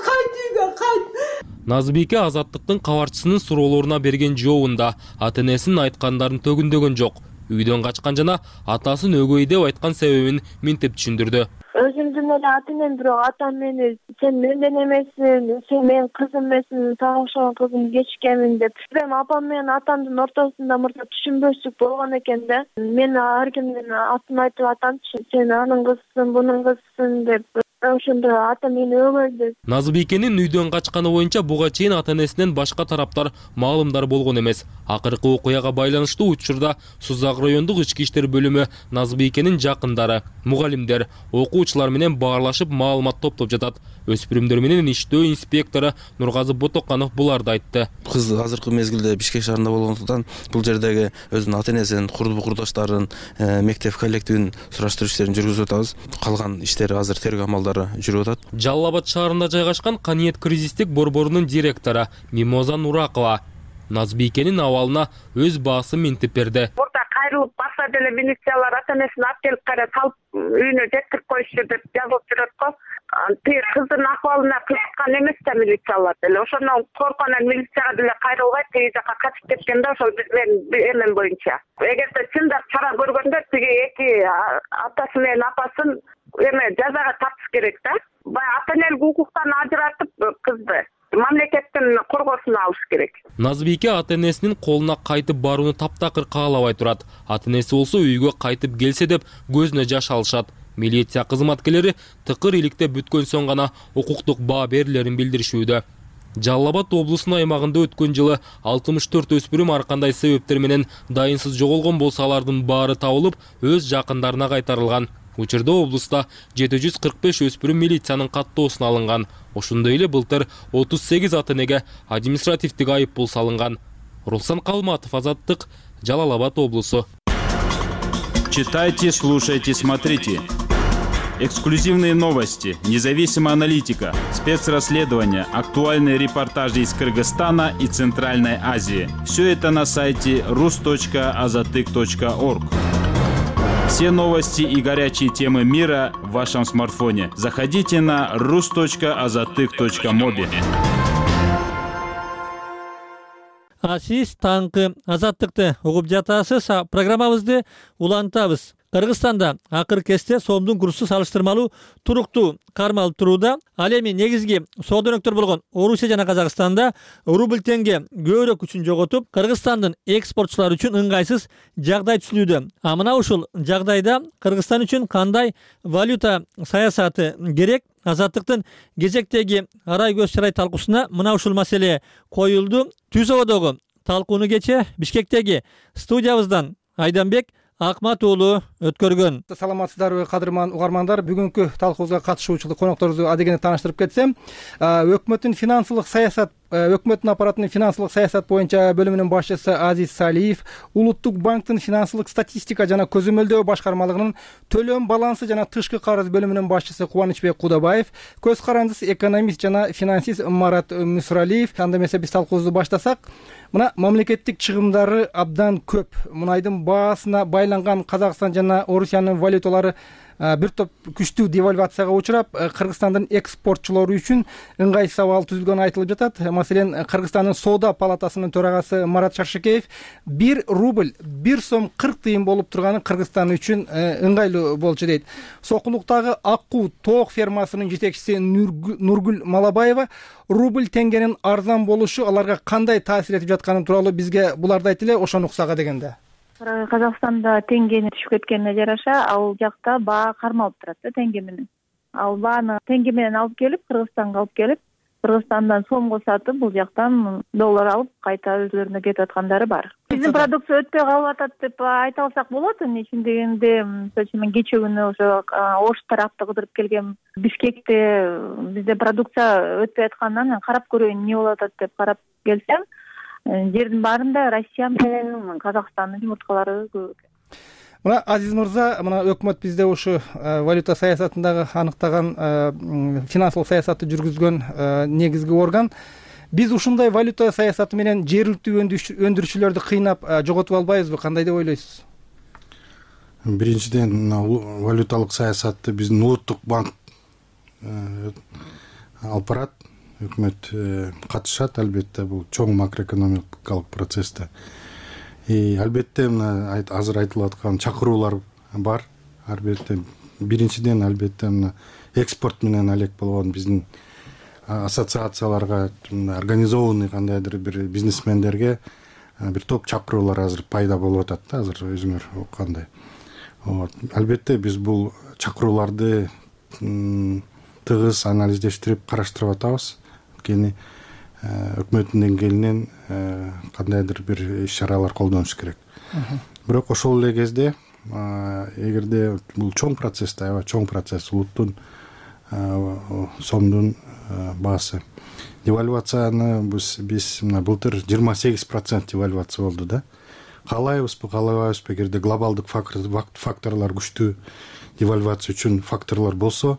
Кайт үйгө, кайт. Назбике Азаттыктын кабарчысынын суроолоруна берген жообунда ата-энесинин айткандарын төгүндөгөн жок. Үйдөн качкан жана атасын өгөй деп айткан себебин минтип түшүндүрдү. Өзүмдүн эле ата-энем, бирок атам мени сен менден эмессиң, сен менин кызым эмессиң, сага окшогон кызым кечиккенмин деп. Эми апам менен атамдын ортосунда мурда түшүнбөчүлүк болгон экен да. Мен ар кимдин атын айтып атамчы, сен анын кызысың, бунун кызысың деп. Ошондо ата мени өгөйдү. Назбикенин үйдөн качканы боюнча буга чейин ата-энесинен башка тараптар маалымдар болгон эмес. Акыркы окуяга байланыштуу учурда Сузак райондук ички иштер бөлүмү Назбикенин жакындары, мугалимдер, окуучулар менен баарлашып маалымат топтоп жатат. Өспүрүмдөр менен иштөө инспектору Нургазы Ботоканов буларды айтты. Кыз азыркы мезгилде Бишкек шаарында болгондуктан бул жердеги өзүнүн ата-энесин, курдукташтарын, мектеп коллективин сураштыруу иштерин жүргүзүп атабыз. Калган иштер азыр тергөө амалдары жүрүп атат. Жалал Абад шаарында жайгашкан Каниет кризистик борборунун директору Мимоза Нуракова Назбикенин абалына өз баасын минтип берди. Мурда кайрылып барса деле милициялар ата энесин алып келип кайра салып үйүнө жеткирип коюшту деп жазылып жүрөт го. Тиги кыздын акыбалына кызыккан эмес да милициялар деле. Ошондон коркконан милицияга деле кайрылбай тиги жака качып кеткен да, ошол биздин эмем боюнча. Эгерде чындап чара көргөндө тиги эки атасы менен апасын эме жазага тартыш керек да. Баягы ата энелик укуктан ажыратып кызды мамлекеттин коргоосуна алыш керек. Назбике ата энесинин колуна кайтып барууну таптакыр каалабай турат. Ата энеси болсо үйгө кайтып келсе деп көзүнө жаш алышат. Милиция кызматкерлери тыкыр иликте бүткөн соң гана укуктук баа берилерин билдиришүүдө. Жалал Абад облусунун аймагында өткөн жылы алтымыш төрт өспүрүм ар кандай себептер менен дайынсыз жоголгон болсо алардын баары табылып, өз жакындарына кайтарылган. Учурда облуста жети жүз кырк беш өспүрүм милициянын каттоосуна алынган. Ошондой эле былтыр отуз сегиз ата энеге административдик айыппул салынган. Руслан Калматов, Азаттык, Жалал Абад облусу. Читайте, слушайте, смотрите. Эксклюзивные новости, независимая аналитика, спецрасследования, актуальные репортажи из Кыргызстана и Центральной Азии. Все это на сайте рус точка азатык точка орг. Все новости и горячие темы мира в вашем смартфоне. Заходите на рус точка азатык точка моби. А сиз таңкы Азаттыкты угуп жатасыз. Программабызды улантабыз. Кыргызстанда акыркы кезде сомдун курсу салыштырмалуу туруктуу кармалып турууда. Ал эми негизги соода өнөктөр болгон Орусия жана Казакстанда рубль теңге көбүрөөк күчүн жоготуп, Кыргызстандын экспортчулары үчүн ыңгайсыз жагдай түзүлүүдө. А мына ушул жагдайда Кыргызстан үчүн кандай валюта саясаты керек? Азаттыктын кезектеги арай көз чарай талкуусуна мына ушул маселе коюлду. Түз ободогу талкууну кече Бишкектеги студиябыздан Айданбек Акмат уулу өткөргөн. Саламатсыздарбы кадырман угармандар? Бүгүнкү талкуубузга катышуучу конокторубузду адегене тааныштырып кетсем, өкмөттүн финансылык саясат өкмөттүн аппаратынын финансылык саясат боюнча бөлүмүнүн башчысы Азиз Салиев Улуттук банктын финансылык статистика жана көзөмөлдөө башкармалыгынын төлөм балансы жана тышкы карыз бөлүмүнүн башчысы Кубанычбек Кудабаев, көз карандысыз экономист жана финансист Марат Мүсүралиев. Анда эмесе биз талкуубузду баштасак, мына мамлекеттик чыгымдары абдан көп. Мунайдын баасына байланган Казакстан жана Орусиянын валюталары бир топ күчтүү девальвацияга учурап, Кыргызстандын экспортчулары үчүн ыңгайсыз абал түзүлгөнү айтылып жатат. Маселен, Кыргызстандын соода палатасынын төрагасы Марат Шаршыкеев бир рубль бир сом кырк тыйын болуп турганы Кыргызстан үчүн ыңгайлуу болчу дейт. Сокулуктагы Аккуу тоок фермасынын жетекчиси Нургүл Малабаева рубль теңгенин арзан болушу аларга кандай таасир этип жатканы тууралуу бизге буларды айтты эле. Ошону уксак адегенде. Казакстанда теңгени түшүп кеткенине жараша, ал жакта баа кармалып турат да теңге менен. Ал бааны теңге менен алып келип, Кыргызстанга алып келип, Кыргызстандан сомго сатып, бул жактан доллар алып, кайта өзлөрүнө кетип аткандары бар. Биздин продукция өтпөй калып атат деп айта алсак болот. Ичин дегенде, мен кече күнү ошо Ош тарапты кыдырып келгем. Бишкекте бизде продукция өтпөй аткандан карап көрөйүн эмне болуп атат деп карап келсем, жердин баарында Россия менен Казакстандын жумурткалары көп экен. Мына Азиз мырза, мына өкмөт бизде ушу валюта саясатындагы аныктаган финансылык саясатты жүргүзгөн негизги орган. Биз ушундай валюта саясаты менен жергиликтүү өндүрүүчүлөрдү кыйнап жоготуп албайбызбы? Кандай деп ойлойсуз? Биринчиден, валюталык саясатты биздин улуттук банк алып барат. Өкмөт катышат, албетте, бул чоң макроэкономикалык процессте. И албетте мына азыр айтылып аткан чакыруулар бар. Албетте биринчиден албетте мына экспорт менен алек болгон биздин ассоциацияларга, организованный кандайдыр бир бизнесмендерге бир топ чакыруулар азыр пайда болуп атат да, азыр өзүңөр уккандай. Вот. Албетте биз бул чакырууларды тыгыз анализдештирип караштырып атабыз. Кени өкмөттүн деңгээлинен кандайдыр бир иш-чаралар колдонуш керек. Бирок ошол эле кезде, эгерде бул чоң процесс, аябай чоң процесс, улуттун сомдун баасы. Девальвацияны биз мына былтыр жыйырма сегиз процент девальвация болду да. Каалайбызбы, каалабайбызбы, эгерде глобалдык факторлор күчтүү девальвация үчүн факторлор болсо,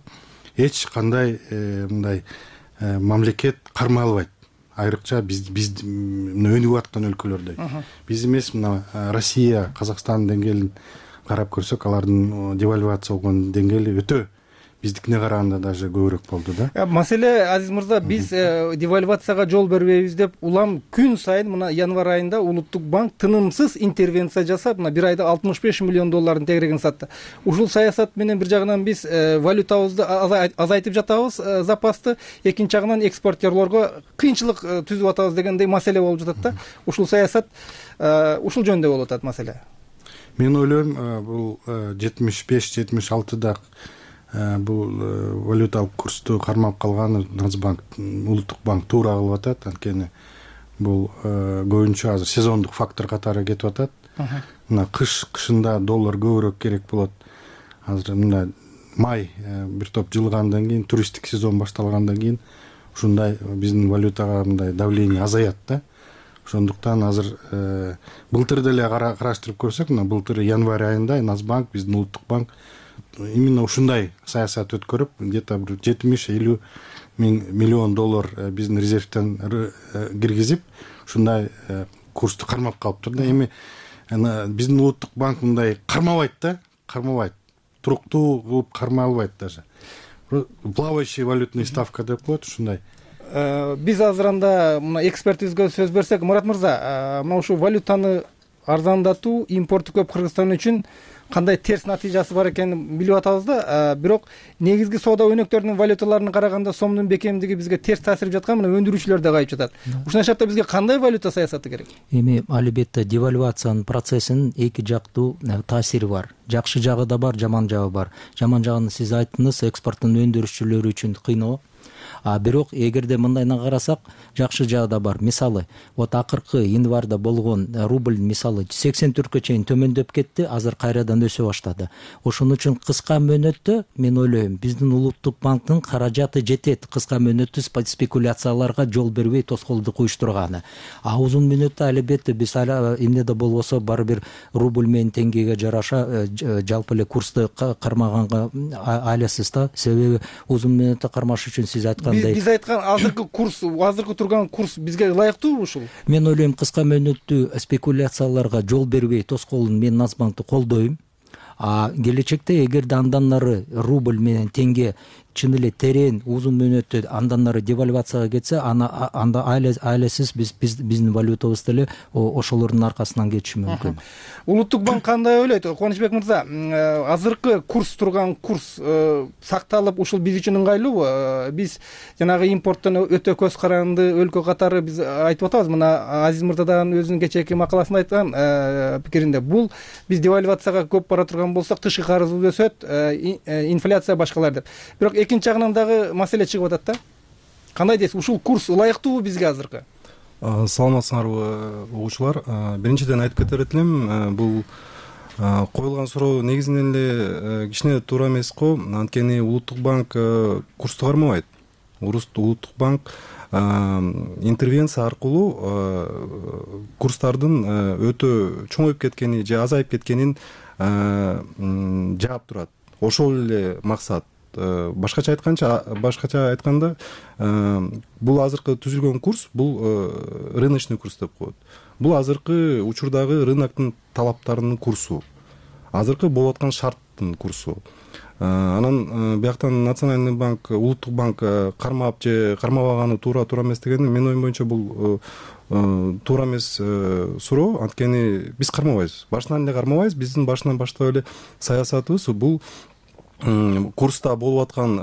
эч кандай мындай мамлекет кармалбайт. айрыкча биз биз өнүгүп аткан өлкөлөрдө биз эмес мына Россия, Казакстан деңгээлин карап көрсөк, алардын девальвация болгон деңгээли өтө биздикине караганда даже көбүрөөк болду да. Маселе Азиз мырза, биз девальвацияга жол бербейбиз деп улам күн сайын мына январь айында Улуттук банк тынымсыз интервенция жасап, мына бир айда алтымыш беш миллион доллардын тегерегин сатты. Ушул саясат менен бир жагынан биз валютабызды азайтып жатабыз, запасты, экинчи жагынан экспортерлорго кыйынчылык түзүп атабыз дегендей маселе болуп жатат да. Ушул саясат ушул жөнүндө болуп атат маселе. Мен ойлойм, бул жетимиш беш жетимиш алтыда бул валюталык курсту кармап калган Нацбанк, Улуттук банк туура кылып атат. Анткени бул көбүнчө азыр сезондук фактор катары кетип атат. Мына кыш кышында доллар көбүрөөк керек болот. Азыр мына май бир топ жылгандан кийин, туристтик сезон башталгандан кийин ушундай биздин валютага мындай давление азаят да. Ошондуктан азыр былтыр деле караштырып көрсөк, мына былтыр январь айында Нацбанк, биздин Улуттук банк именно ушундай саясат өткөрүп, где-то бир жетимиш элүү миллион доллар биздин резервден киргизип, ушундай курсту кармап калыптыр да. Эми биздин Улуттук банк мындай кармабайт да, кармабайт. Туруктуу кылып кармай албайт даже. Плавающий валютный ставка деп коет, ушундай. Биз азыр анда мына экспертибизге сөз берсек, Мурат мырза, мына ушул валютаны арзандатуу, импорту көп Кыргызстан үчүн кандай терс натыйжасы бар экенин билип атабыз да. Бирок негизги соода өнөктөрүнүн валюталарына караганда сомдун бекемдиги бизге терс таасир жаткан, мына өндүрүүчүлөр да кайып жатат. Ушундай шартта бизге кандай валюта саясаты керек? Эми албетте девальвациянын процессинин эки жактуу таасири бар. Жакшы жагы да бар, жаман жагы бар. Жаман жагын сиз айттыңыз, экспорттун өндүрүүчүлөрү үчүн кыйноо. А бирок эгерде мындайдан карасак, жакшы жагы да бар. Мисалы, вот акыркы январда болгон рубль мисалы сексен төрткө чейин төмөндөп кетти, азыр кайрадан өсө баштады. Ошон үчүн кыска мөөнөттө мен ойлойм, биздин Улуттук банктын каражаты жетет кыска мөөнөттүү спекуляцияларга жол бербей тоскоолдук уюштурганы. А узун мөөнөттө албетте биз эмнеде болбосо баары бир рубль менен теңгеге жараша жалпы эле курсту кармаганга аласыз да. Себеби узун мөөнөттө кармаш үчүн сиз айткан биз айткан азыркы курс, азыркы турган курс бизге ылайыктуубу ушул? Мен ойлойм, кыска мөөнөттүү спекуляцияларга жол бербей тоскоолун мен Нацбанкты колдойм. А келечекте эгерде андан нары рубль менен теңге чын эле терең узун мөөнөттө андан нары девальвацияга кетсе, анда анда айлесиз биз биздин валютабыз деле ошолордун аркасынан кетиши мүмкүн. Улуттук банк кандай ойлойт? Кубанычбек мырза, азыркы курс турган курс сакталып, ушул биз үчүн ыңгайлуубу? Биз жанагы импорттон өтө көз каранды өлкө катары биз айтып атабыз. Мына Азиз мырзадан өзүнүн кечээки макаласында айткан пикиринде, бул биз девальвацияга көп бара турган болсок, тышкы карызыбыз өсөт, инфляция башкалар деп. Бирок экинчи жагынан дагы маселе чыгып атат да. Кандай дейсиз? Ушул курс ылайыктуубу бизге азыркы? Саламатсыңарбы угуучулар? Биринчиден айтып кетер элем, бул коюлган суроо негизинен эле кичине туура эмес го. Анткени Улуттук банк курсту кармабайт. Улуттук банк интервенция аркылуу курстардын өтө чоңоюп кеткени же азайып кеткенин жаап турат. Ошол эле максат. Башкача айтканча, башкача айтканда, бул азыркы түзүлгөн курс, бул рыночный курс деп коет. Бул азыркы учурдагы рыноктун талаптарынын курсу. Азыркы болуп аткан шарттын курсу. Анан бияктан Национальный банк, Улуттук банк кармап же кармабаганы туура туура эмес дегени менин оюм боюнча бул туура эмес суроо. Анткени биз кармабайбыз. Башынан эле кармабайбыз. Биздин башынан баштап эле саясатыбыз бул курста болуп аткан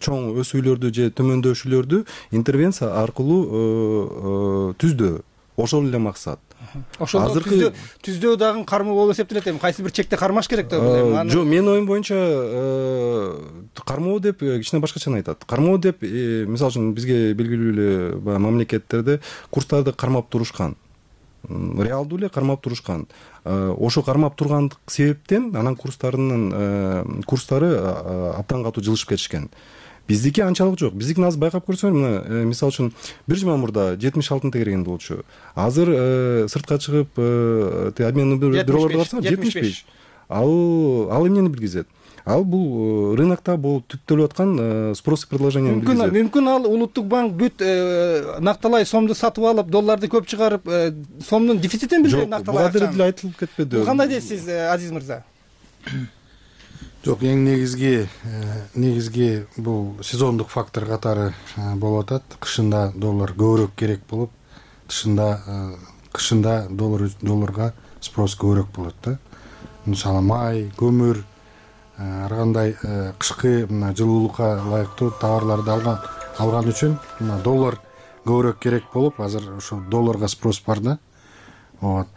чоң өсүүлөрдү же төмөндөшүүлөрдү интервенция аркылуу түздөө. Ошол эле максат. Ошол түздөө түздөө дагы кармоо болуп эсептелет эми. Кайсы бир чекте кармаш керек деп ойлойм. Жок, менин оюм боюнча кармоо деп кичине башкача айтат. Кармоо деп, мисалы үчүн бизге белгилүү эле баягы мамлекеттерде курстарды кармап турушкан. Реалдуу эле кармап турушкан. Ошо кармап тургандык себептен анан курстарынын курстары абдан катуу жылышып кетишкен. Биздики анчалык жок. Биздикин азыр байкап көрсөңөр, мына мисалы үчүн бир жума мурда жетимиш алтынын тегерегинде болчу. Азыр сыртка чыгып обменный бюролордо барсаң жетимиш беш. Ал ал эмнени билгизет? ал бул рынокто болуп түптөлүп аткан спрос и предложение мүмкүн мүмкүн ал улуттук банк бүт накталай сомду сатып алып долларды көп чыгарып сомдун дефицитин билдирет накталай акчаны. Жок, буга деле айтылып кетпеди. Бул кандай дейсиз, Азиз мырза? Жок, эң негизги негизги бул сезондук фактор катары болуп атат. Кышында доллар көбүрөөк керек болуп, тышында кышында доллар долларга спрос көбүрөөк болот да. Мисалы май, көмүр, ар кандай кышкы мына жылуулукка ылайыктуу товарларды алган алган үчүн мына доллар көбүрөөк керек болуп, азыр ошо долларга спрос бар да. Вот.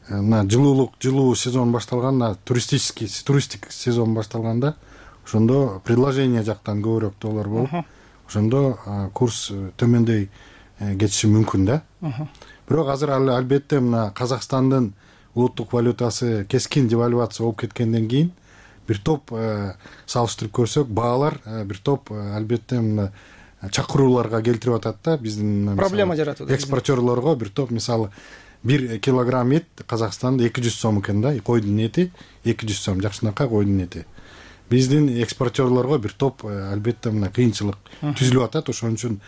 Мына жылуулук, жылуу сезон башталганда, туристический туристик сезон башталганда, ошондо предложение жактан көбүрөөк доллар болуп, ошондо курс төмөндөй кетиши мүмкүн да. Бирок азыр албетте мына Казакстандын улуттук валютасы кескин девальвация болуп кеткенден кийин бир топ салыштырып көрсөк, баалар бир топ албетте мына чакырууларга келтирип атат да. Биздин проблема жаратат. Экспортерлорго бир топ, мисалы бир килограмм эт Казакстанда эки жүз сом экен да, койдун эти эки жүз сом, жакшынакай койдун эти. Биздин экспортерлорго бир топ албетте мына кыйынчылык түзүлүп атат. Ошон үчүн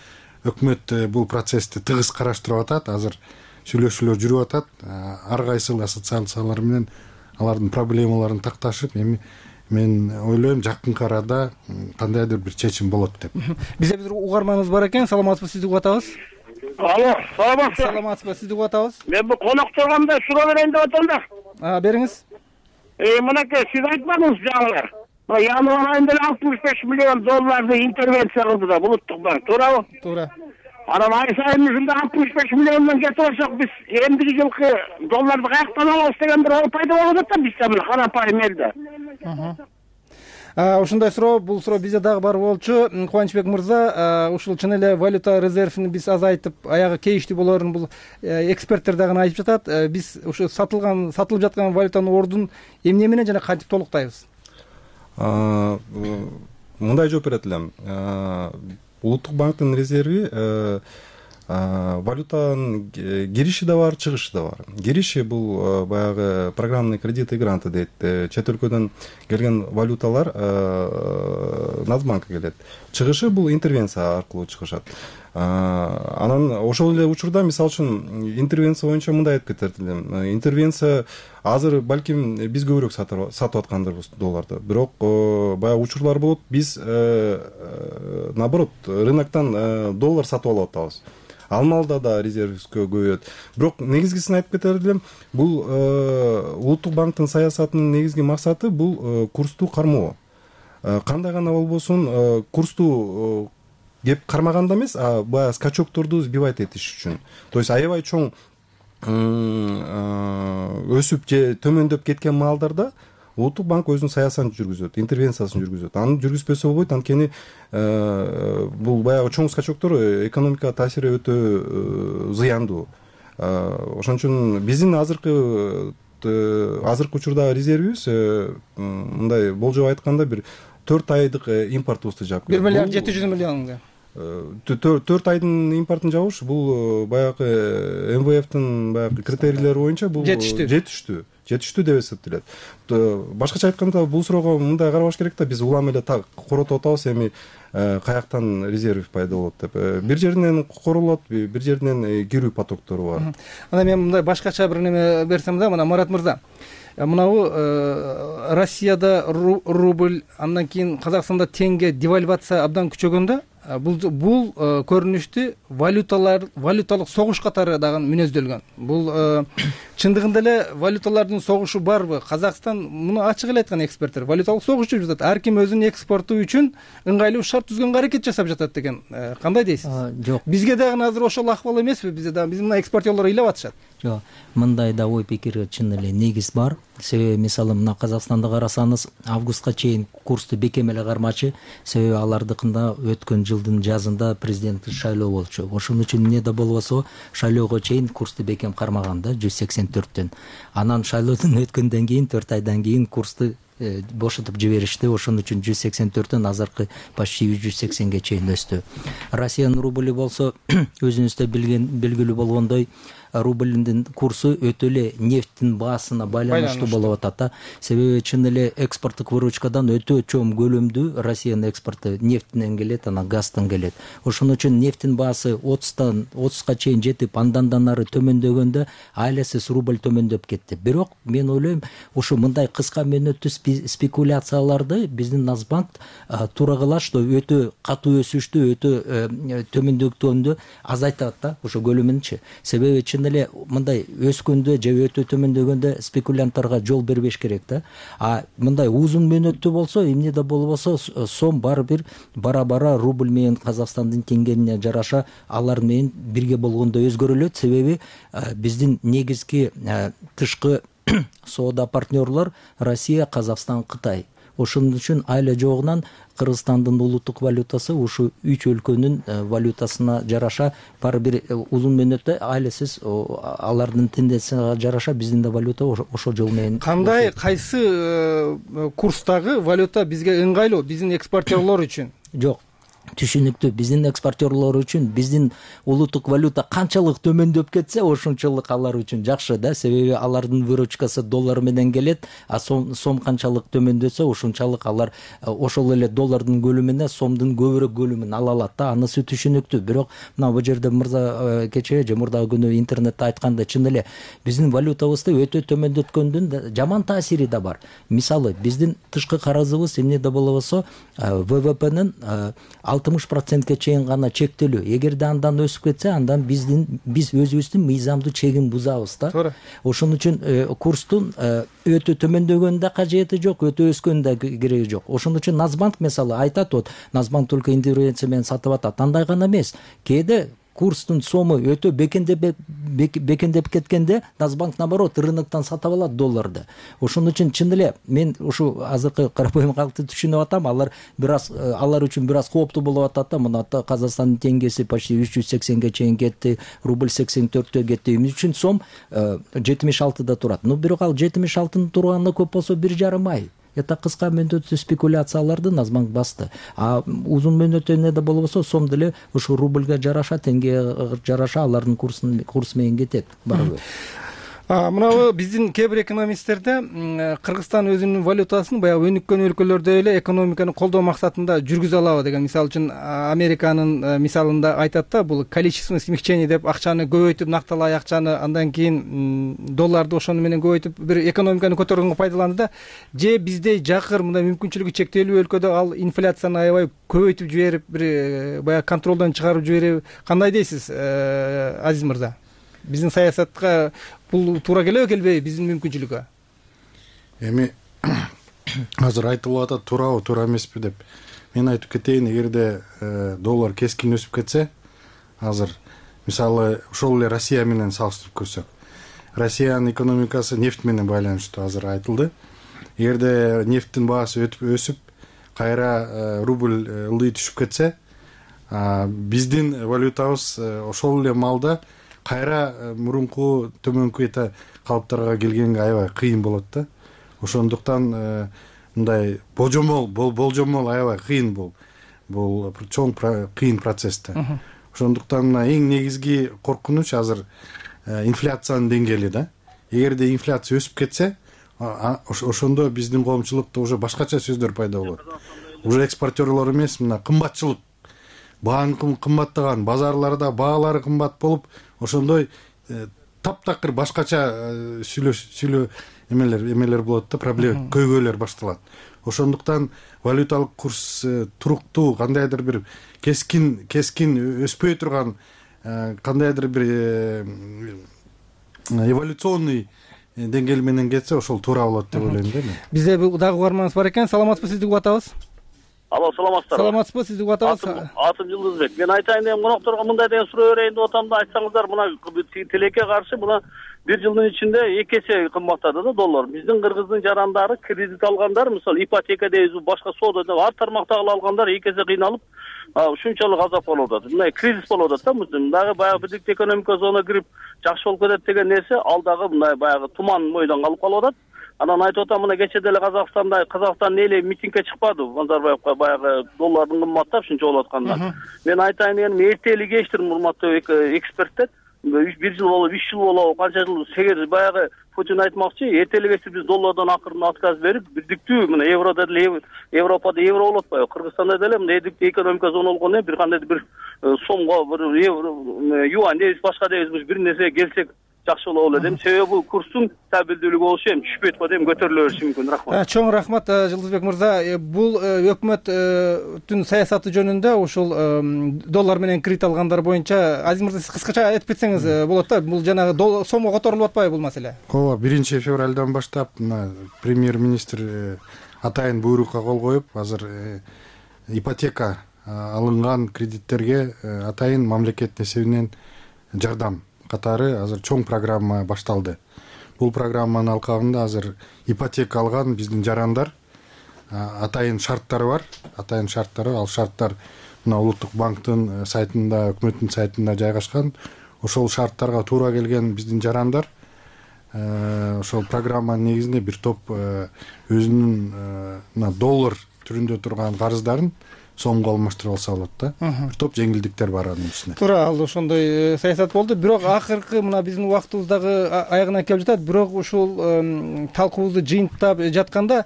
өкмөт бул процессти тыгыз караштырып атат. Азыр сүйлөшүүлөр жүрүп атат. Ар кайсыл ассоциациялар менен алардын проблемаларын такташып, эми мен ойлойм жакынкы арада кандайдыр бир чечим болот деп. Бизде бир угарманыбыз бар экен. Саламатсызбы, сизди угуп атабыз. Алло, саламатсызбы. Саламатсызбы, сизди угуп атабыз. Мен бу конокторгомдо суроо берейин деп атам да. А, бериңиз. Э, мынакей сиз айтпадыңыз жаңылар. Январь айында алтымыш беш миллион долларды интервенция кылды да улуттук банк, туурабы? Туура. Анан ай сайын ушундай алтымыш беш миллиондон кетип алсак, биз эмдиги жылкы долларды каяктан алабыз деген бир ой пайда болуп атат да бизде мына карапайым элде. Ушундай суроо, бул суроо бизде дагы бар болчу. Кубанычбек мырза, ушул чын эле валюта резервин биз азайтып, аягы кейиштүү болорун бул эксперттер дагы айтып жатат. Биз ушу сатылган, сатылып жаткан валютанын ордун эмне менен жана кантип толуктайбыз? Мындай жооп берет элем. Улуттук банктын резерви валютанын кириши да бар, чыгышы да бар. Кириши бул баягы программный кредиты, гранты дейт. Чет өлкөдөн келген валюталар Нацбанкка келет. Чыгышы бул интервенция аркылуу чыгышат. Анан ошол эле учурда мисалы үчүн интервенция боюнча мындай айтып кетет элем. Интервенция азыр балким биз көбүрөөк сатып аткандырбыз долларды. Бирок баягы учурлар болот, биз наоборот рыноктон доллар сатып алып атабыз. Алмалда да резервибиз көбөйөт. Бирок негизгисин айтып кетер элем, бул улуттук банктын саясатынын негизги максаты бул курсту кармоо. Кандай гана болбосун курсту кеп кармаганда эмес, а баягы скачокторду сбивать этиш үчүн. То есть аябай чоң өсүп же төмөндөп кеткен маалдарда улуттук банк өзүнүн саясатын жүргүзөт, интервенциясын жүргүзөт. Аны жүргүзбөсө болбойт, анткени бул баягы чоң скачоктор экономикага таасири өтө зыяндуу. Ошон үчүн биздин азыркы азыркы учурдагы резервибиз мындай болжоп айтканда бир төрт айдык импортубузду жаап бир миллиард жети жүз миллионго. төрт айдын импортун жабыш бул баягы эм вэ эфтин баягы критерийлери боюнча бул жетиштүү жетиштүү жетиштүү деп эсептелет. Башкача айтканда бул суроого мындай карабаш керек да, биз улам эле так коротуп атабыз, эми каяктан резерв пайда болот деп. Бир жеринен королот, бир жеринен кирүү потоктору бар. Анан мен мындай башкача бир неме берсем да, мына Марат мырза, мынабу Россияда рубль, андан кийин Казакстанда теңге девальвация абдан күчөгөндө, бул бул көрүнүштү валюталар валюталык согуш катары дагы мүнөздөлгөн. Бул чындыгында эле валюталардын согушу барбы? Казакстан муну ачык эле айткан эксперттер, валюталык согуш жүрүп жатат. Ар ким өзүнүн экспорту үчүн ыңгайлуу шарт түзгөнгө аракет жасап жатат деген. Кандай дейсиз? Жок. Бизге дагы азыр ошол акыбал эмеспи? Бизде дагы биздин мына экспортерлор ыйлап атышат. Жок, мындай да ой пикир чын эле негиз бар. Себеби мисалы мына Казакстанда карасаңыз, августка чейин курсту бекем эле кармачы, себеби алардыкында өткөн жылдын жазында президенттик шайлоо болчу. Ошон үчүн эмне да болбосо шайлоого чейин курсту бекем кармаган да, жүз сексен төрттөн. Анан шайлоодон өткөндөн кийин төрт айдан кийин курсту бошотуп жиберишти. Ошон үчүн жүз сексен төрттөн азыркы почти үч жүз сексенге чейин өстү. Россиянын рубль болсо өзүңүз да билген белгилүү болгондой рубльдин курсу өтө эле нефттин баасына байланыштуу болуп атат да. Себеби чын эле экспорттук выручкадан өтө чоң көлөмдүү Россиянын экспорту нефттен келет, анан газдан келет. Ошон үчүн нефттин баасы отуздан отузга чейин жетип, андан да нары төмөндөгөндө айласыз рубль төмөндөп кетти. Бирок мен ойлойм, ушу мындай кыска мөөнөттүү спекуляцияларды биздин Нацбанк туурагылаш өтө катуу өсүштү, өтө төмөндөктөндү азайтат да, ошо көлөмүнчү. Себеби чын эле мындай өскөндө же өтө төмөндөгөндө спекулянттарга жол бербеш керек да. А мындай узун мөөнөттүү болсо, эмне да болбосо сом баары бир бара-бара рубль менен Казакстандын теңгенине жараша алар менен бирге болгондо өзгөрүлөт. Себеби биздин негизги тышкы соода партнерлор Россия, Казакстан, Кытай. Ошон үчүн айла жогунан Кыргызстандын улуттук валютасы ушу үч өлкөнүн валютасына жараша баары бир узун мөөнөттө айласыз алардын тенденцияга жараша биздин да валюта ошол жол менен. Кандай кайсы курстагы валюта бизге ыңгайлуу биздин экспортерлор үчүн? Жок. Түшүнүктүү. Биздин экспортерлор үчүн биздин улуттук валюта канчалык төмөндөп кетсе, ошончолук алар үчүн жакшы да. Себеби алардын выручкасы доллар менен келет, а сом сом канчалык төмөндөсө, ошончалык алар ошол эле доллардын көлөмүнө сомдун көбүрөөк көлөмүн ала алат да. Анысы түшүнүктүү. Бирок мына бул жерде мырза кечээ же мурдагы күнү интернетте айтканда чын эле биздин валютабызды өтө төмөндөткөндүн жаман таасири да бар. Мисалы, биздин тышкы карызыбыз эмне да болбосо ВВПнын алтымыш процентке чейин гана чектелүү. Эгерде андан өсүп кетсе, андан биздин биз өзүбүздүн мыйзамдуу чегин бузабыз да. Туура. Ошон үчүн курстун өтө төмөндөгөнүн да кажети жок, өтө өскөнүн да кереги жок. Ошон үчүн Нацбанк мисалы айтат, вот Нацбанк только интервенция менен сатып атат. Андай гана эмес. Кээде курстун сому өтө бекендеп бекендеп кеткенде Нацбанк наоборот рыноктон сатып алат долларды. Ошон үчүн чын эле мен ушу азыркы карапайым калкты түшүнүп атам. Алар бир аз алар үчүн бир аз кооптуу болуп атат да. Мына Казакстандын теңгеси почти үч жүз сексенге чейин кетти, рубль сексен төрттө кетти. Эмне үчүн сом жетимиш алтыда турат. Ну бирок ал жетимиш алтынын турганына көп болсо бир жарым ай. Это кыска мөөнөттүү спекуляцияларды Нацбанк басты. А узун мөөнөттүү эмне да болбосо сом деле ушу рубльга жараша, теңгеге жараша алардын курсын курс менен кетет барыбыр. Мына биздин кээ бир экономисттерде Кыргызстан өзүнүн валютасын баягы өнүккөн өлкөлөрдөй эле экономиканы колдоо максатында жүргүзө алабы деген. Мисалы үчүн Американын мисалында айтат да, бул количественное смягчение деп акчаны көбөйтүп, накталай акчаны андан кийин долларды ошону менен көбөйтүп бир экономиканы көтөргөнгө пайдаланды да. Же биздей жакыр мындай мүмкүнчүлүгү чектелүү өлкөдө ал инфляцияны аябай көбөйтүп жиберип, бир баягы контролдон чыгарып жибериби? Кандай дейсиз, Азиз мырза? Биздин саясатка бул туура келеби, келбейби биздин мүмкүнчүлүккө? Эми азыр айтылып атат, туурабы, туура эмеспи деп. Мен айтып кетейин, эгерде доллар кескин өсүп кетсе, азыр мисалы ошол эле Россия менен салыштырып көрсөк, Россиянын экономикасы нефть менен байланыштуу, азыр айтылды. Эгерде нефттин баасы өсүп, кайра рубль ылдый түшүп кетсе, биздин валютабыз ошол эле маалда кайра мурунку төмөнкү эта калыптарга келгенге аябай кыйын болот да. Ошондуктан мындай божомол болжомол аябай кыйын бул. Бул чоң кыйын процесс да. Ошондуктан эң негизги коркунуч азыр инфляциянын деңгээли да. Эгерде инфляция өсүп кетсе, ошондо биздин коомчулукта уже башкача сөздөр пайда болот. Уже экспортерлор эмес, мына кымбатчылык, баан кымбаттаган, базарларда баалары кымбат болуп, ошондой таптакыр башкача сүйлөө эмелер эмелер болот да, проблема көйгөйлөр башталат. Ошондуктан валюталык курс туруктуу, кандайдыр бир кескин кескин өспөй турган, кандайдыр бир эволюционный деңгээл менен кетсе, ошол туура болот деп ойлойм да мен. Бизде дагы угарманыбыз бар экен. Саламатсызбы, сизди угуп атабыз. Алло, саламатсыздарбы? Саламатсызбы, сизди угуп атабыз. Атым Жылдызбек. Мен айтайын деген конокторго мындай деген суроо берейин деп атам да, айтсаңыздар, мына тилекке каршы мына бир жылдын ичинде эки эсе кымбаттады да доллар. Биздин кыргыздын жарандары, кредит алгандар, мисалы ипотека дейбиз, башка соода деп ар тармактагы алгандар эки эсе кыйналып, ушунчалык азап болуп атат. Мына кризис болуп атат да, дагы баягы бирдикте экономика зона кирип жакшы болуп кетет деген нерсе, ал дагы мындай баягы туман мойдон калып калып атат. Анан айтып атам, мына кечээ деле Казакстанда Казакстандын эли митингге чыкпады Назарбаевка баягы доллардын кымбаттап ушунча болуп атканда. Мен айтайын дегеним, эртели кечтир урматтуу эксперттер. бир жыл болуп, үч жыл болуп, канча жыл сегиз баягы Путин айтмакчы, эртели кечтир биз доллардан акырын отказ берип, бирдиктүү мына еврода деле Европада евро болуп атпайбы? Кыргызстанда деле мына эрдиктүү экономика зона болгондо бир кандай бир сомго, бир евро, юань дебиз, башка дебиз, бир нерсе келсек жакшы болот эле дейм. Себеби бул курстун стабилдүүлүгү болушу эми түшпөйт го дейм, көтөрүлө бериши мүмкүн. Рахмат. Чоң рахмат Жылдызбек мырза. Бул өкмөттүн саясаты жөнүндө ушул доллар менен кредит алгандар боюнча Азиз мырза сиз кыскача айтып кетсеңиз болот да. Бул жанагы сомго которулуп атпайбы бул маселе? Ооба, биринчи февралдан баштап премьер-министр атайын буйрукка кол коюп, азыр ипотека алынган кредиттерге атайын мамлекет эсебинен жардам катары азыр чоң программа башталды. Бул программанын алкагында азыр ипотека алган биздин жарандар атайын шарттары бар. Атайын шарттары, ал шарттар мына Улуттук банктын сайтында, өкмөттүн сайтында жайгашкан. Ошол шарттарга туура келген биздин жарандар ошол программанын негизинде бир топ өзүнүн мына доллар түрүндө турган карыздарын сомго алмаштырып алса болот да. Бир топ жеңилдиктер бар анын ичинде. Туура, ал ошондой саясат болду. Бирок акыркы мына биздин убактыбыз дагы аягына келип жатат. Бирок ушул талкуубузду жыйынтап жатканда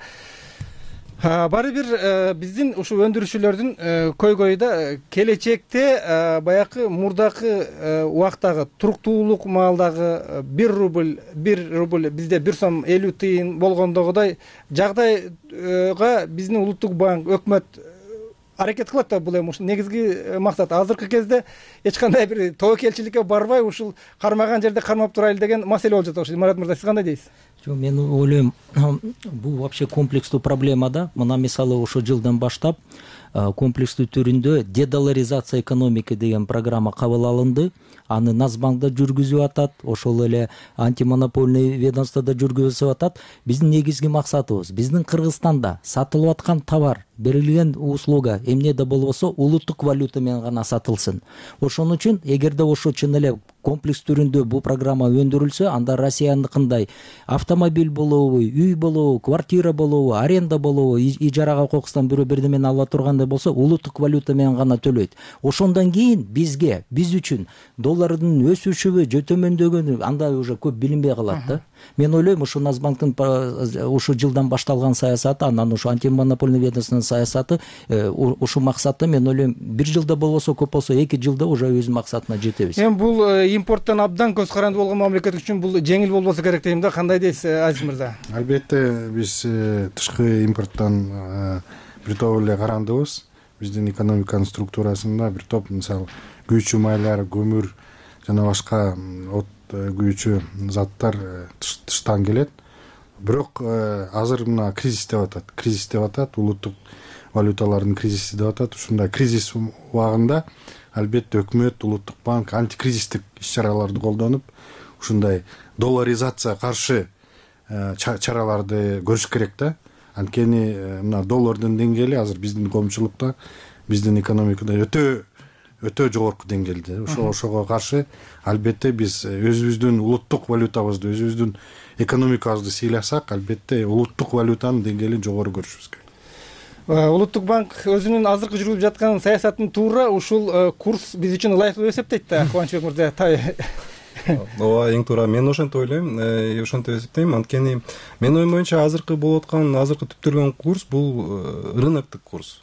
баары бир биздин ушул өндүрүүчүлөрдүн көйгөйү да келечекте баягы мурдакы убактагы туруктуулук маалдагы бир рубль, бир рубль бизде бир сом элүү тыйын болгондогудай жагдайга биздин Улуттук банк, өкмөт аракет кылат да. Бул эми ушул негизги максат. Азыркы кезде эч кандай бир тобокелчиликке барбай, ушул кармаган жерде кармап турайлы деген маселе болуп жатат. Марат мырза, сиз кандай дейсиз? Жок, мен ойлойм, бул вообще комплекстүү проблема да. Мына мисалы ошол жылдан баштап комплекстүү түрүндө дедоларизация экономики деген программа кабыл алынды. Аны Нацбанк да жүргүзүп атат, ошол эле антимонопольный ведомство да жүргүзүп атат. Биздин негизги максатыбыз биздин Кыргызстанда сатылып аткан товар, берилген услуга эмнеде болбосо улуттук валюта менен гана сатылсын. Ошон үчүн эгерде ошо чын эле комплекс түрүндө бул программа өндүрүлсө, анда Россияныкындай автомобиль болобу, үй болобу, квартира болобу, аренда болобу, ижарага кокустан бирөө бирдемени ала тургандай болсо, улуттук валюта менен гана төлөйт. Ошондон кийин бизге, биз үчүн доллардын өсүшүбү, же төмөндөгөнү анда уже көп билинбей калат да. Мен ойлойм, ушу Нацбанктын ушу жылдан башталган саясаты, анан ушу антимонопольный ведомствонун саясаты ушу максатта, мен ойлойм, бир жылда болбосо, көп болсо эки жылда уже өз максатына жетебиз. Эми бул импорттон абдан көз каранды болгон мамлекет үчүн бул жеңил болбосо керек дейм да. Кандай дейсиз, Азиз мырза? Албетте, биз тышкы импорттон бир топ эле карандыбыз. Биздин экономиканын структурасында бир топ, мисалы, күйүүчү майлар, көмүр жана башка от күйүүчү заттар тыштан келет. Бирок азыр мына кризис деп атат. Кризис деп атат, улуттук валюталардын кризиси деп атат. Ушундай кризис убагында албетте өкмөт, Улуттук банк антикризистик иш-чараларды колдонуп, ушундай долларизация каршы чараларды көрүш керек да. Анткени мына доллардын деңгээли азыр биздин коомчулукта, биздин экономикада өтө өтө жогорку деңгээлде. Ошо ошого каршы албетте биз өзүбүздүн улуттук валютабызды, өзүбүздүн экономикабызды сыйласак, албетте улуттук валютанын деңгээлин жогору көрүшүбүз керек. Улуттук банк өзүнүн азыркы жүргүзүп жаткан саясатын туура ушул курс биз үчүн ылайыктуу деп эсептейт да. Кубанычбек мырза, ооба, эң туура. Мен ошентип ойлойм, ошентип эсептейм. Анткени менин оюм боюнча азыркы болуп аткан, азыркы түптөлгөн курс бул рыноктук курс.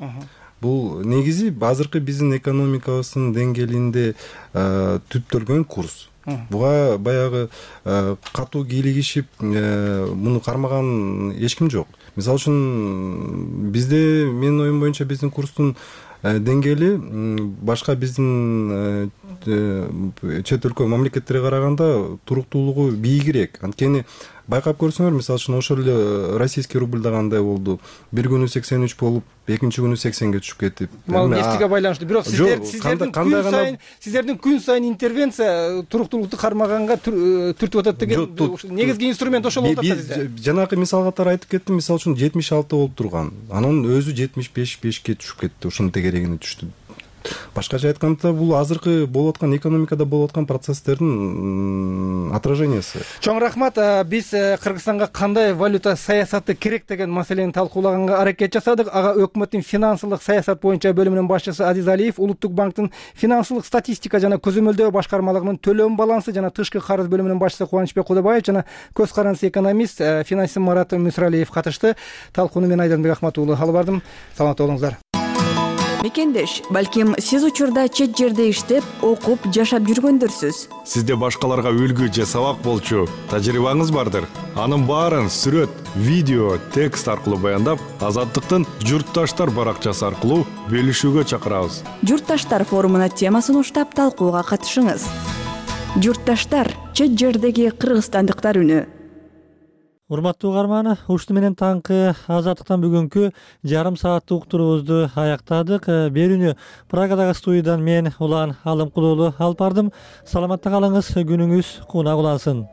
Бул негизи азыркы биздин экономикабыздын деңгээлинде түптөлгөн курс. Буга баягы катуу кийлигишип муну кармаган эч ким жок. Мисалы үчүн бизде, менин оюм боюнча, биздин курстун деңгээли башка биздин чет өлкө мамлекеттерге караганда туруктуулугу бийигирээк. Анткени байкап көрсөңөр, мисалы үчүн ошол эле российский рубль да кандай болду? Бир күнү сексен үч болуп, экинчи күнү сексенге түшүп кетип. Бул нефтиге байланыштуу. Бирок сиздердин күн сайын сиздердин күн сайын интервенция туруктуулукту кармаганга түртүп атат деген негизги инструмент ошол болуп атат бизде. Жанагы мисал катары айтып кеттим. Мисалы үчүн жетимиш алты болуп турган. Анын өзү жетимиш беш бешке түшүп кетти. Ошонун тегерегине түштү. башкача айтканда бул азыркы болуп аткан экономикада болуп аткан процесстердин отражениясы. Чоң рахмат. Биз Кыргызстанга кандай валюта саясаты керек деген маселени талкуулаганга аракет жасадык. Ага өкмөттүн финансылык саясат боюнча бөлүмүнүн башчысы Азиз Алиев, Улуттук банктын финансылык статистика жана көзөмөлдөө башкармалыгынын төлөм балансы жана тышкы карыз бөлүмүнүн башчысы Кубанычбек Кудабаев жана көз карандысы экономист финансист Марат Мүсүралиев катышты. Талкууну мен Айдарбек Ахмат уулу алып бардым. Саламатта болуңуздар. Мекендеш, балким сиз учурда чет жерде иштеп, окуп, жашап жүргөндөрсүз. Сизде башкаларга үлгү же сабак болчу тажрыйбаңыз бардыр. Анын баарын сүрөт, видео, текст аркылуу баяндап, Азаттыктын Журтташтар баракчасы аркылуу бөлүшүүгө чакырабыз. Журтташтар форумуна темасын уштап талкууга катышыңыз. Журтташтар, чет жердеги кыргызстандыктар үнү. Урматтуу угарман, ушуну менен таңкы Азаттыктан бүгүнкү жарым сааттык уктуруубузду аяктадык. Берүүнү Прагадагы студиядан мен Улан Алымкулуулу алып бардым. Саламатта калыңыз, күнүңүз кунак улансын.